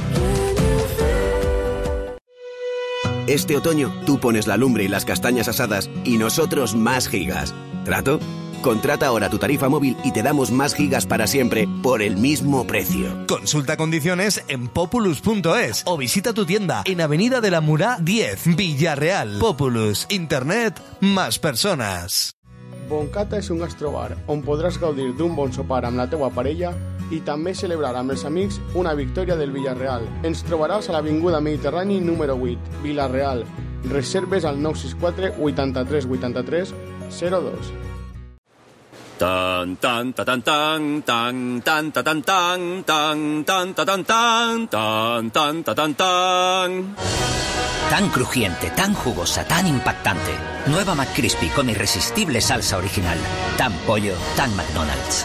Este otoño tú pones la lumbre y las castañas asadas y nosotros más gigas. ¿Trato? Contrata ahora tu tarifa móvil y te damos más gigas para siempre por el mismo precio. Consulta condiciones en populus punto es o visita tu tienda en Avenida de la Murá diez, Villarreal. Populus, internet, más personas. Boncata és un gastrobar on podràs gaudir d'un bon sopar amb la teua parella i també celebrar amb els amics una victòria del Villarreal. Ens trobaràs a l'Avinguda Mediterrani número vuit, Villarreal. Reserves al nou sis quatre vuitanta-tres vuitanta-tres zero dos. Tan tan ta tan tan tan tan ta tan tan tan tan ta tan tan tan tan ta tan tan. Tan crujiente, tan jugosa, tan impactante. Nueva McCrispy con irresistible salsa original. Tan pollo, tan McDonald's.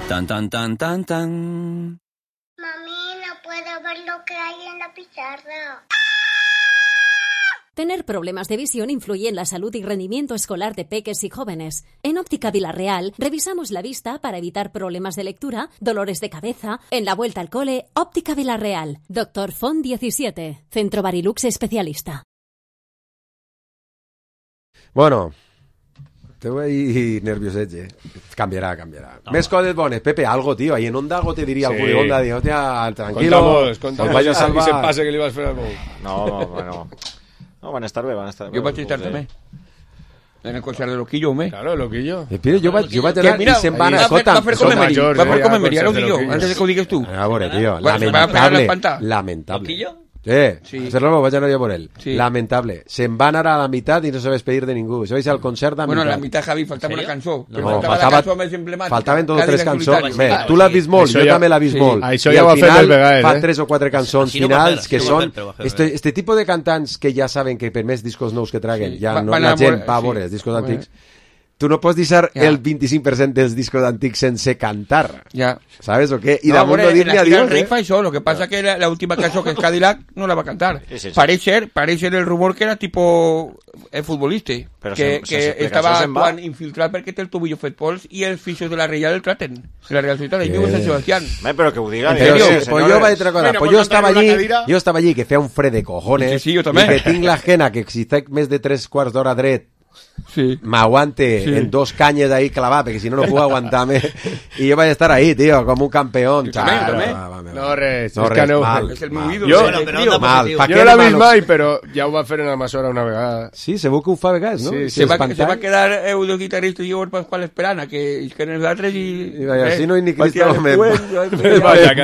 Tan tan tan tan tan. Mami, no puedo ver lo que hay en la pizarra. Tener problemas de visión influye en la salud y rendimiento escolar de peques y jóvenes. En Óptica Villarreal revisamos la vista para evitar problemas de lectura, dolores de cabeza. En la vuelta al cole, Óptica Villarreal. Doctor Font diecisiete. Centro Barilux especialista. Bueno, te voy ahí nervioset, eh? Canviarà, canviarà. No, Més coses bones. Pepe, algo, tío. Ahí en Onda algo te diría Sí. algú de Onda. Digo, hostia, tranquilo. Contamos, contamos. Os vaya a salvar. Ese pase que le ibas a fer al Bou. No, no, bueno. No, van a estar bé, van a estar bé. Jo vaig estar també. En el concert de Loquillo, home. Claro, Loquillo. Eh, Pere, jo vaig, jo vaig Que anar mira, i se'n van va a... fer- va fer com en Meri, va fer com en Meri, ara ho dic jo, antes de que ho digues tu. A veure, tio, Va- se va a pegar lamentable. l'espantar. Lamentable. ¿Loquillo? Eh, Sí. sí. Serrano, vaig anar jo por él. Sí. Lamentable. Se'n va anar a la meitat i no se va despedir de ningú. Se va ir al concert a Bueno, mitad. la mitad, Javi, faltava una cançó. Però No, faltava faltava- la cançó més emblemàtica. Faltaven dos o Cadillac tres cançons. Solitario. Bé, Ah, tu l'has vist molt, Això jo ja- també l'he vist sí. molt. Això I ja al ho ha fet final el Begaer, fa eh? tres o quatre cançons Aquí no va finals fer, que aquí no va són... fer, però va fer Este, bé. este tipo de cantants que ja saben que per més discos nous que traguen, ja Va- no, van la a gent veure- va a sí. veure els discos Bueno. antics. Tu no pots deixar Ja. el vint-i-cinc per cent dels discos antics sense cantar. Ja. ¿Sabes o qué? Y No, damunt hombre, no dir-li la gira adiós, del Rey eh? fa això, lo que pasa que la, la última canción que es Cadillac no la va a cantar. Sí, sí, sí. Parece ser, parece ser el rumor que era tipo el futbolista, Però que, se- se- que se- estava això se'n va. actuant infiltrat perquè té el tobillo fet pols i els fixos de la Reial el traten. De la Real Societat, Eh. i viu a Sant Sebastián. Bé, però que ho diga. Pero diga, sí, señores. pues yo voy a decir una cosa, Bueno, pues pues yo estaba cantar en allí, una cadira. yo estaba allí que feia un fred de cojones, Sí, sí, jo també. i que tinc la gena que si estic més de tres quarts d'hora dret sí. m'aguante Sí. en dos canyes ahí clavat, perquè si no no puc aguantar-me, i jo vaig estar ahí, tío, com un campeón. també, Chao, també. va, va, va. No res, No és res, que no. mal, És el meu mal. ídol. Jo- és el Però tio. Mal, pa Jo què no l'he vist malo- mai, però ja ho va fer en Almassora una vegada. Sí, segur que ho fa a vegades, no? Sí, I sí, Se va, espantall. se va a quedar eh, de guitarrista i el Pascual esperant a que isquen els altres i... I vaya, eh, si no hi ni va Cristo, tirar me, después, me va- vaig a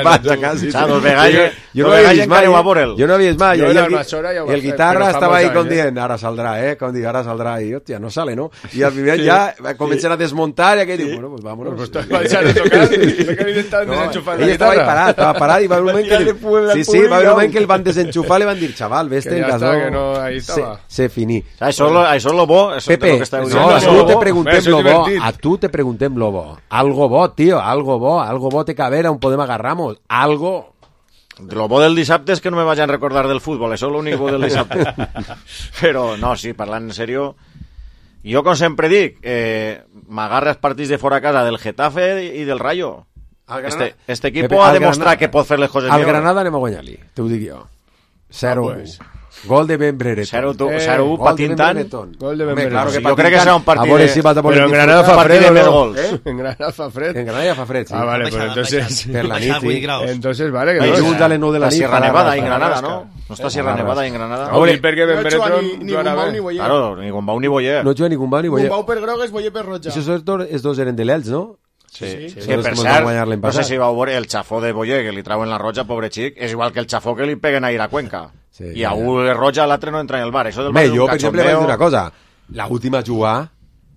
casa. Saps, els vegades- Jo no havia vist mai, jo no havia vist mai. I el guitarra estava ahí com dient, ara saldrà, eh, com dient, ara saldrà, i hòstia, no sale, no? I al primer ja comencen a desmuntar i aquell diu, bueno, pues vámonos. Pues estava a tocar, que estaven desenxufant la guitarra. Ell estava ahí parat, estava parat i va haver un moment que... Sí, sí, va haver un moment que el van desenxufar i li van dir, chaval, vés-te en casa. Que no, ahí estava. Se finí. Això és lo bo. Pepe, no, a tu te preguntem lo bo, a tu te preguntem lo bo. Algo bo, tío, algo bo, algo bo té que haver on podem agarramos, algo... Lo bo del dissabte és que no me vayan a recordar del futbol, això és l'únic bo del dissabte. Però, no, sí, parlant en serio, jo, com sempre dic, eh, m'agarra els partits de fora a casa del Getafe i del Rayo. Este, este equipo Pepe, ha demostrat que pot fer les coses millor. Al Granada anem a guanyar-li, t'ho dic jo. Zero. Ah, pues. Gol de Ben Brereton. cero uno patintant. Gol de Ben Brereton. Claro que jo crec que serà un partit a veure si vas a Però en Granada fa fred o no? ¿Eh? En Granada fa fred. En Granada fa fred, sí. Ah, vale, pues entonces... Per la nit, sí. Entonces, vale, que no és... a les nou de la nit. Sierra Nevada en Granada, ¿no? No està Sierra Nevada en Granada. No, i perquè Ben Brereton... Ni Gumbau ni Boyer. Claro, ni Gumbau ni Boyer. No juga ni Gumbau ni Boyer. Gumbau per grogues, Boyer per roja. Això els dos eren de l'Elx, no? Sí, sí, sí. Que per cert, no sé si vau veure el xafó de Boyer que li trauen la roja, pobre xic, és igual que el xafó que li peguen a ir a Cuenca. Sí, I a un és roja, l'altre no entra en el bar. Això del bar és un jo, per exemple, vaig dir una cosa. L'última jugar,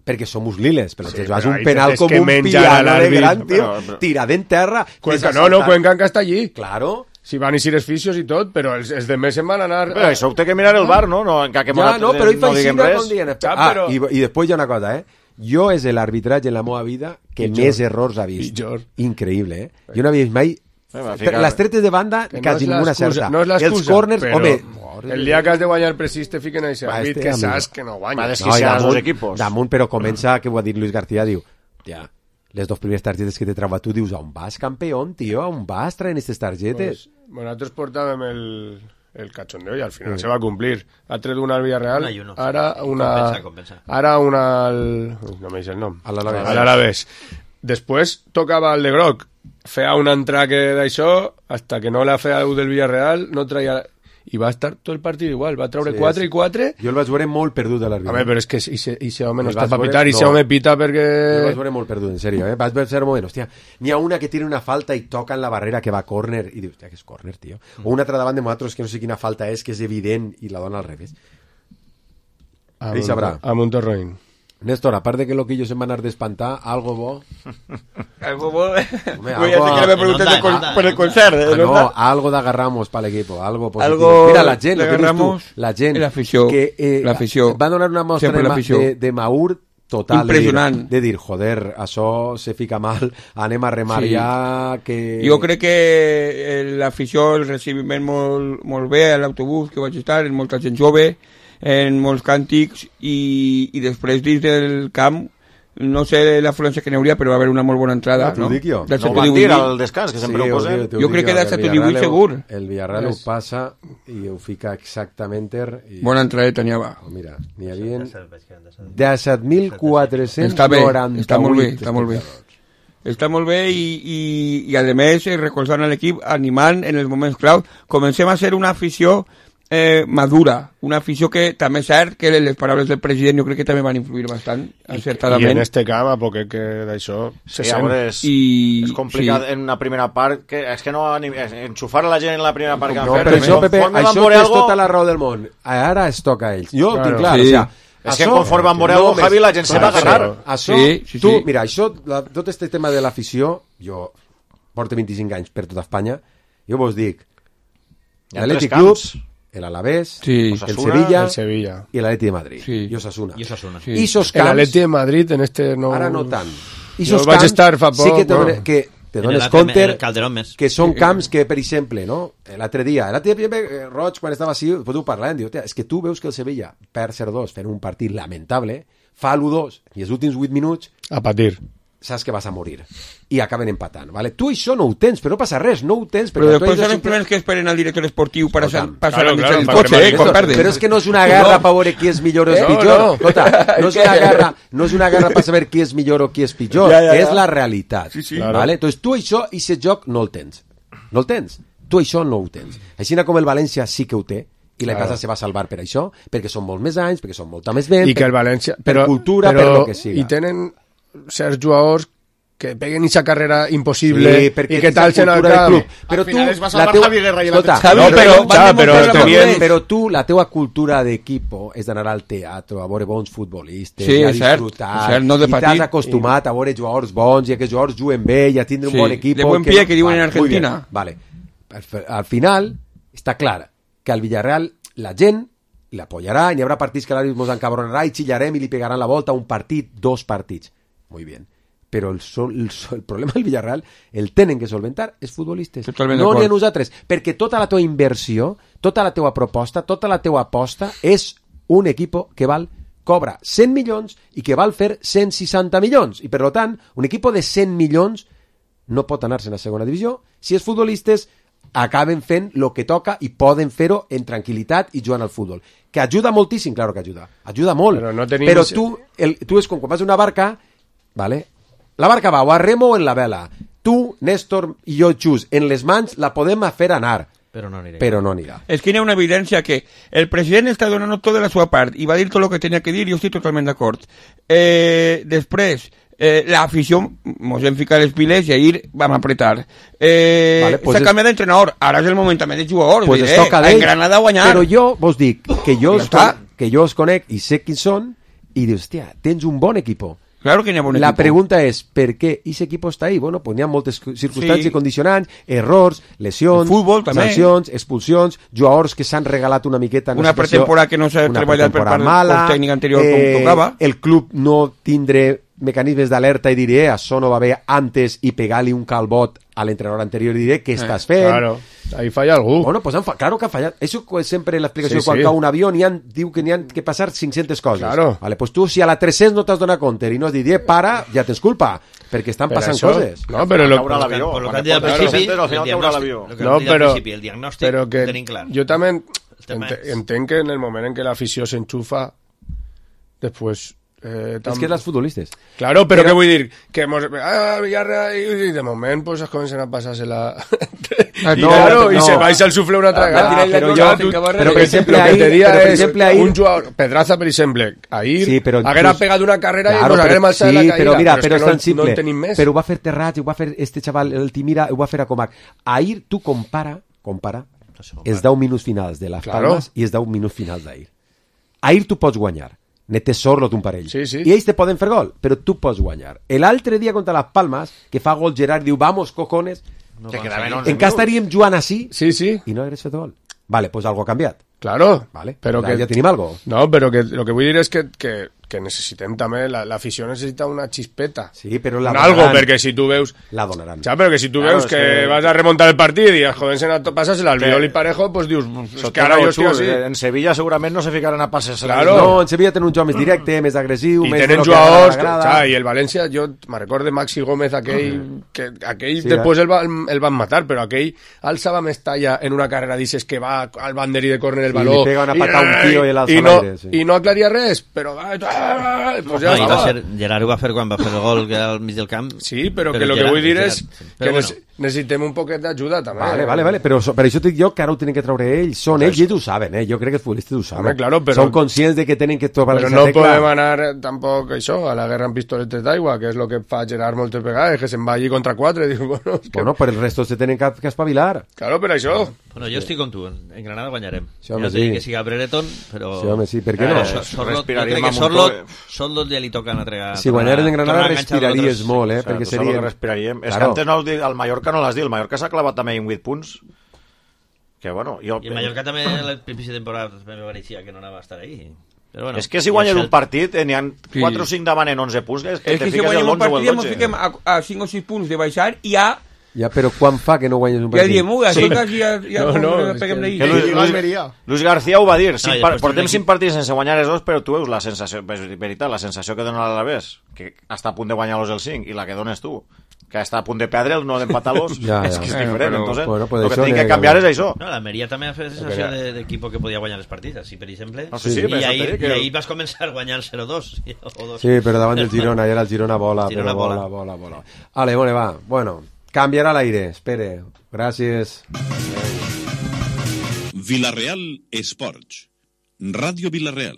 perquè som liles, però sí, és un penal com un piano de gran, tio, tirada en terra. Cuenca, no, no, Cuenca que està allí. Claro. Si van a ser els fisios i tot, però els, els de més se'n van anar... Però això ho té que mirar el bar, no? no que ja, no, però hi fa així com dient. Ah, i, i després hi ha una cosa, eh? Jo és l'arbitratge en la meva vida que Pitjor. més errors ha vist. Pitjor. Increïble, eh? Jo no havia vist mai... Eh, les tretes de banda, que quasi no ninguna certa. No és l'excusa, els corners, però home... el dia que has de guanyar precís te fiquen a aquest àrbit que saps que no guanya. Va desquiciar els dos equipos. Damunt, però comença, que ho ha dit Luis García, diu, tia, les dos primeres targetes que te trauva tu, dius, on vas, campeón, tio? On vas traient aquestes targetes? Pues, bueno, nosaltres portàvem el... el cachondeo y al final sí. se va a cumplir. Ha traído una al Villarreal, una ara una... Compensa, compensa. Ara una al... no me dice el nom. A l'Alavés. A l'Alavés. Després tocava el de Groc. Feia un entraque d'això, hasta que no la feia el del Villarreal, no traia... I va estar tot el partit igual, va treure quatre i quatre. Jo el vaig veure molt perdut a l'àrbitre. A veure, però és que ese home no està per pitar, i ese home pita perquè... Jo el vaig veure molt perdut, en sèrio, eh? Vaig veure un moment, hòstia, n'hi ha una que tira una falta i toca en la barrera que va a córner, i dius, hòstia, que és córner, tio. O una altra davant de nosaltres que no sé quina falta és, que és evident, i la dona al revés. Ell sabrà. A Montorroín. Néstor, a part de que Loquillo se'n va anar d'espantar, algo bo... algo bo... Home, algo... Voy a que me preguntes no, no, no, por el concert. Ah, no, no, algo d'agarramos per l'equip, algo positivo. Algo Mira, la gent, lo que dius tu, la gent... L'afició, que eh, l'afició. Va donar una mostra de, de, de Maur total. Impressionant. De dir, de dir, joder, això se fica mal, anem a remar sí. ja, que... Jo crec que l'afició, el recibiment molt, molt bé a l'autobús que vaig estar, en molta gent jove, en molts càntics, i, i després dins del camp no sé l'afluència que n'hi hauria, però va haver una molt bona entrada, no? No, jo. no van dir al descans, que sempre sí, ho posem. Jo crec que de set o divuit segur. El Villarreal ho passa i ho fica exactament... I... Bona entradeta n'hi va. Oh, mira, n'hi havia disset mil quatre-cents noranta-vuit. Està molt bé, està molt bé. Està molt bé i, i, i a més recolzant a l'equip, animant en els moments clau. Comencem a ser una afició Eh, madura, una afició que també és cert que les paraules del president jo crec que també van influir bastant, encertadament. I en este camp, a poc que d'això se sí, sent. És, I, és complicat sí. en una primera part, que és que no enxufar a la gent en la primera part que han no, fet. Per això, Pepe, això és algo... tota la raó del món. Ara es toca a ells. Jo claro, tinc clar, sí. o sea, és això, que conforme van veure algo, Javi, la gent se va a ganar. Això, sí, sí, tu, sí. mira, això, la, tot este tema de l'afició, jo porto vint-i-cinc anys per tota Espanya, jo vos dic, l'Atlètic Club, el Alavés, sí. el Sevilla, el Sevilla y el Atleti de Madrid. Sí. Y Osasuna. Y Osasuna. Sí. Y esos camps, el Atleti de Madrid en este no... Ara no tant. I esos camps estar fa poc, sí que te, no. que te dones compte que són camps que, per exemple, no? l'altre dia, l'altre dia eh, Roig, quan estava així, doncs ho parlàvem, diu, és que tu veus que el Sevilla perd zero dos fent un partit lamentable, fa l'u dos i els últims vuit minuts... A patir. Saps que vas a morir i acaben empatant, ¿vale? Tu això no ho tens, però no passa res, no ho tens. Però després són els primers que esperen al director esportiu per passar claro, claro, el cotxe, eh, quan perden. Però és que no és una guerra no. per veure qui és millor o és no, pitjor. No. Escolta, no és una guerra, no és una guerra per saber qui és millor o qui és pitjor, ja, ja, ja. és la realitat. Sí, sí. ¿Vale? Claro. Entonces tu això, i aquest joc no el tens. No el tens. Tu això no ho tens. Així com el València sí que ho té, i la claro. casa se va salvar per això, perquè són molt més anys, perquè són molta més vent, I que el València, per, però, per cultura, però, per lo que siga. I tenen certs jugadors que peguen esa carrera imposible Sí, y perquè que és la tal en el cultura del camp. club. Però Al final tu, es va la salvar teua... Javi Guerra i el Escolta, altre. no, No, però, però, ja, però tenien... però tu, la teua cultura d'equipo és d'anar al teatre, a veure bons futbolistes, Sí, i a és cert, disfrutar, és cert, no de i t'has patir. acostumat a veure jugadors bons i a que els jugadors juguen bé i a tindre Sí, un bon equip. de buen pie, que diuen en Argentina. Muy bien, vale. Al, al final, està clar que al Villarreal la gent l'apoyarà, i n'hi haurà partits que l'àrbitre ens encabronarà i xillarem i li pegaran la volta un partit, dos partits. Muy bien. Però el, sol, el, sol, el problema del Villarreal el tenen que solventar els futbolistes. Totalment No d'acord. n'hi ha nosaltres. Perquè tota la teva inversió, tota la teva proposta, tota la teva aposta és un equipo que val cobra cent milions i que val fer cent seixanta milions. I per tant, un equipo de cent milions no pot anar-se a segona divisió si els futbolistes acaben fent el que toca i poden fer-ho en tranquil·litat i jugant al futbol. Que ajuda moltíssim, claro que ajuda. Ajuda molt. Però no tenim... Però tu, el, tu és com quan vas a una barca, ¿vale? La barca va o a remo o en la vela. Tu, Néstor i jo, Xus, en les mans la podem fer anar. Però no anirà. Però no anirà. És que hi ha una evidència que el president està donant tota la seva part i va dir tot el que tenia que dir i jo estic totalment d'acord. Eh, després, eh, l'afició mos hem ficat les piles i ahir vam apretar. Eh, Vale, pues s'ha es- canviat d'entrenador, ara és el moment també de jugadors. Pues dir, es toca eh, d'ell. en Granada a guanyar. Però jo vos dic que jo, Ja os està. con, que jo os conec i sé quins són i dius, hòstia, tens un bon equipo. Claro que n'hi ha bon La equipo. pregunta és, per què aquest equip està ahí? Bueno, pues n'hi ha moltes circumstàncies Sí. condicionants, errors, lesions, El futbol, també. sancions, expulsions, jugadors que s'han regalat una miqueta en Una situació- pretemporada que no s'ha una treballat per pretemporada part del cos tècnic anterior com tocava. El club no tindre mecanismes d'alerta i diré, eh, això no va bé antes i pegar-li un calbot a l'entrenador anterior i diré, què estàs fent? Claro, ahí falla algú. Bueno, pues han fa... claro que ha fallat. Eso es sempre l'explicació Sí, quan sí. cau un avió n'hi han, diu que n'hi han que passar cinc-centes coses. Claro. Vale, pues tu si a la tres-cents no t'has donat compte i no has dit, eh, para, ja tens culpa, perquè estan Per passant això- coses. No, però lo- Caurà l'avió. Per lo que Quan han dit al portes principi, centes, al el final caurà diagnòstic, l'avió. el que No, han dit al però, principi, el diagnòstic però ho que tenim clar. jo també tema ent és- entenc que en el moment en què l'afició s'enxufa, després... Eh, És que les futbolistes. Claro, però, Però- què vull dir? Que mos... Ah, Villarreal, i, i de moment pues, es comencen a passar-se la... I, no, claro, no. i se vais al sufle una altra Ah, vegada. però Clar, jo- tu- però, però, per exemple, lo que ahir- te dia però, per és exemple, ahir- un jugador, Pedraza, per exemple, ahir Sí, però haguera just- pegat una carrera Claro, i nos però- haguérem alçat sí, de la caïda. però mira, és però és que tan no, simple. no en tenim més. Però ho va fer Terrats, ho va fer este xaval, el Timira, ho va fer a Comac. Ahir tu compara, compara els deu minuts finals de les Claro. Palmes i els deu minuts finals d'ahir. Ahir tu pots guanyar. Netes sorlo un parell. Sí, sí. I ells te poden fer gol, però tu pots guanyar. L'altre dia contra les Palmes, que fa gol Gerard, diu, vamos, cojones, Que quedaven onze encara estaríem jugant així Sí, sí. i no hagués fet gol. Vale, pues algo ha canviat. Claro, Vale, però ja, que... ja tenim algo. No, però que lo que vull dir és que, que, que necessitem també, la- l'afició necessita una xispeta. Sí, però la Un algo, donaran. perquè si tu veus... La donaran. Ja, però que si tu Claro, veus és que, que- vas a remontar el partit i els joves en pasar-se al Que- Albiol i Parejo, pues dius, és Això que ara té jo estic raó, així. Xus. En Sevilla segurament no se ficaran a passes. Claro. No, en Sevilla tenen un joc més directe, més agressiu, I més tenen de lo que jugadors, que, agrada. clar, i el València, jo me recordo de Maxi Gómez, aquell, que aquell Sí, després eh? el, va, el van matar, però aquell alçava més talla en una carrera, dices que va al banderí de córner el Sí, baló, li pega una pata a un tio i l'alça i a no, l'aire, sí. i no aclaria res, però ah, ah, pues ja No, i va estava. ser, Gerard ho va fer quan va fer el gol que al mig del camp. Sí, però, Però que el que Gerard- vull dir Gerard- és Però que bueno. nece- necessitem un poquet d'ajuda també. Vale, vale, vale, però so, per això et dic jo que ara ho tenen que treure ells, són ells i ells ho saben, eh? Jo crec que els futbolistes ho saben. Home, claro, però- Són conscients de que tenen que trobar Però esa no tecla. podem anar eh, tampoc això, a la guerra amb pistoletes d'aigua, que és el que fa Gerard moltes vegades, que se'n va allí contra quatre. Diu, bueno, és que... Bueno, per el resto se tenen que, que espavilar. Claro, per això. Bueno, jo estic com tu, en Granada guanyarem. Sí, home, no té sí. que siga Brereton, però... Sí, home, sí, per què Però no? So- Sorlot, jo Respiraríem crec que amb un Sorlot, to- Sorlot ja li toca una trega. Si guanyaren en Granada respiraries molt, eh? O sigui, Perquè tu saps el seria... que respiraríem. És que Claro. antes no, has dit- el Mallorca no l'has dit, el Mallorca s'ha clavat també en vuit punts, que bueno, jo... I el Mallorca també al principi de temporada me pareixia que no anava a estar ahí. Però bueno, És que si guanyes i el un partit, eh, n'hi ha Sí. quatre o cinc davant en onze punts, és que És te que si fiques guanyem el un onze o partit el ja ens dotze. fiquem a, a cinc o sis punts de baixar i ja, Ja, però quan fa que no guanyes un ja partit? diem, ui, Sí. això quasi ja, ja No, com no, que és peguem que- d'ahir. Que Luis, I Luis, l'Almeria. Luis García ho va dir, cinc i par- després portem tenim cinc partits sense guanyar els dos, però tu veus la sensació, és veritat, la sensació que dona l'Alavés, que està a punt de guanyar-los el cinc, i la que dones tu, que està a punt de perdre el no d'empatar-los, Ja, és ja. que és Eh, diferent, però- entonces, bueno, pues el que això tinc que nega- canviar és això. No, l'Almeria també ha fet sensació de- d'equip que podia guanyar els partits, així per exemple. No, sí, sí, I, però això ahir, t'he dit que- I ahir vas començar guanyant zero dos. O dos. Sí, però davant del Girona, i ara el Girona vola, Girona però vola, vola. vola, vola. Vale, bueno, va, bueno, canviarà l'aire, espere, gràcies. Villarreal Esports. Ràdio Villarreal.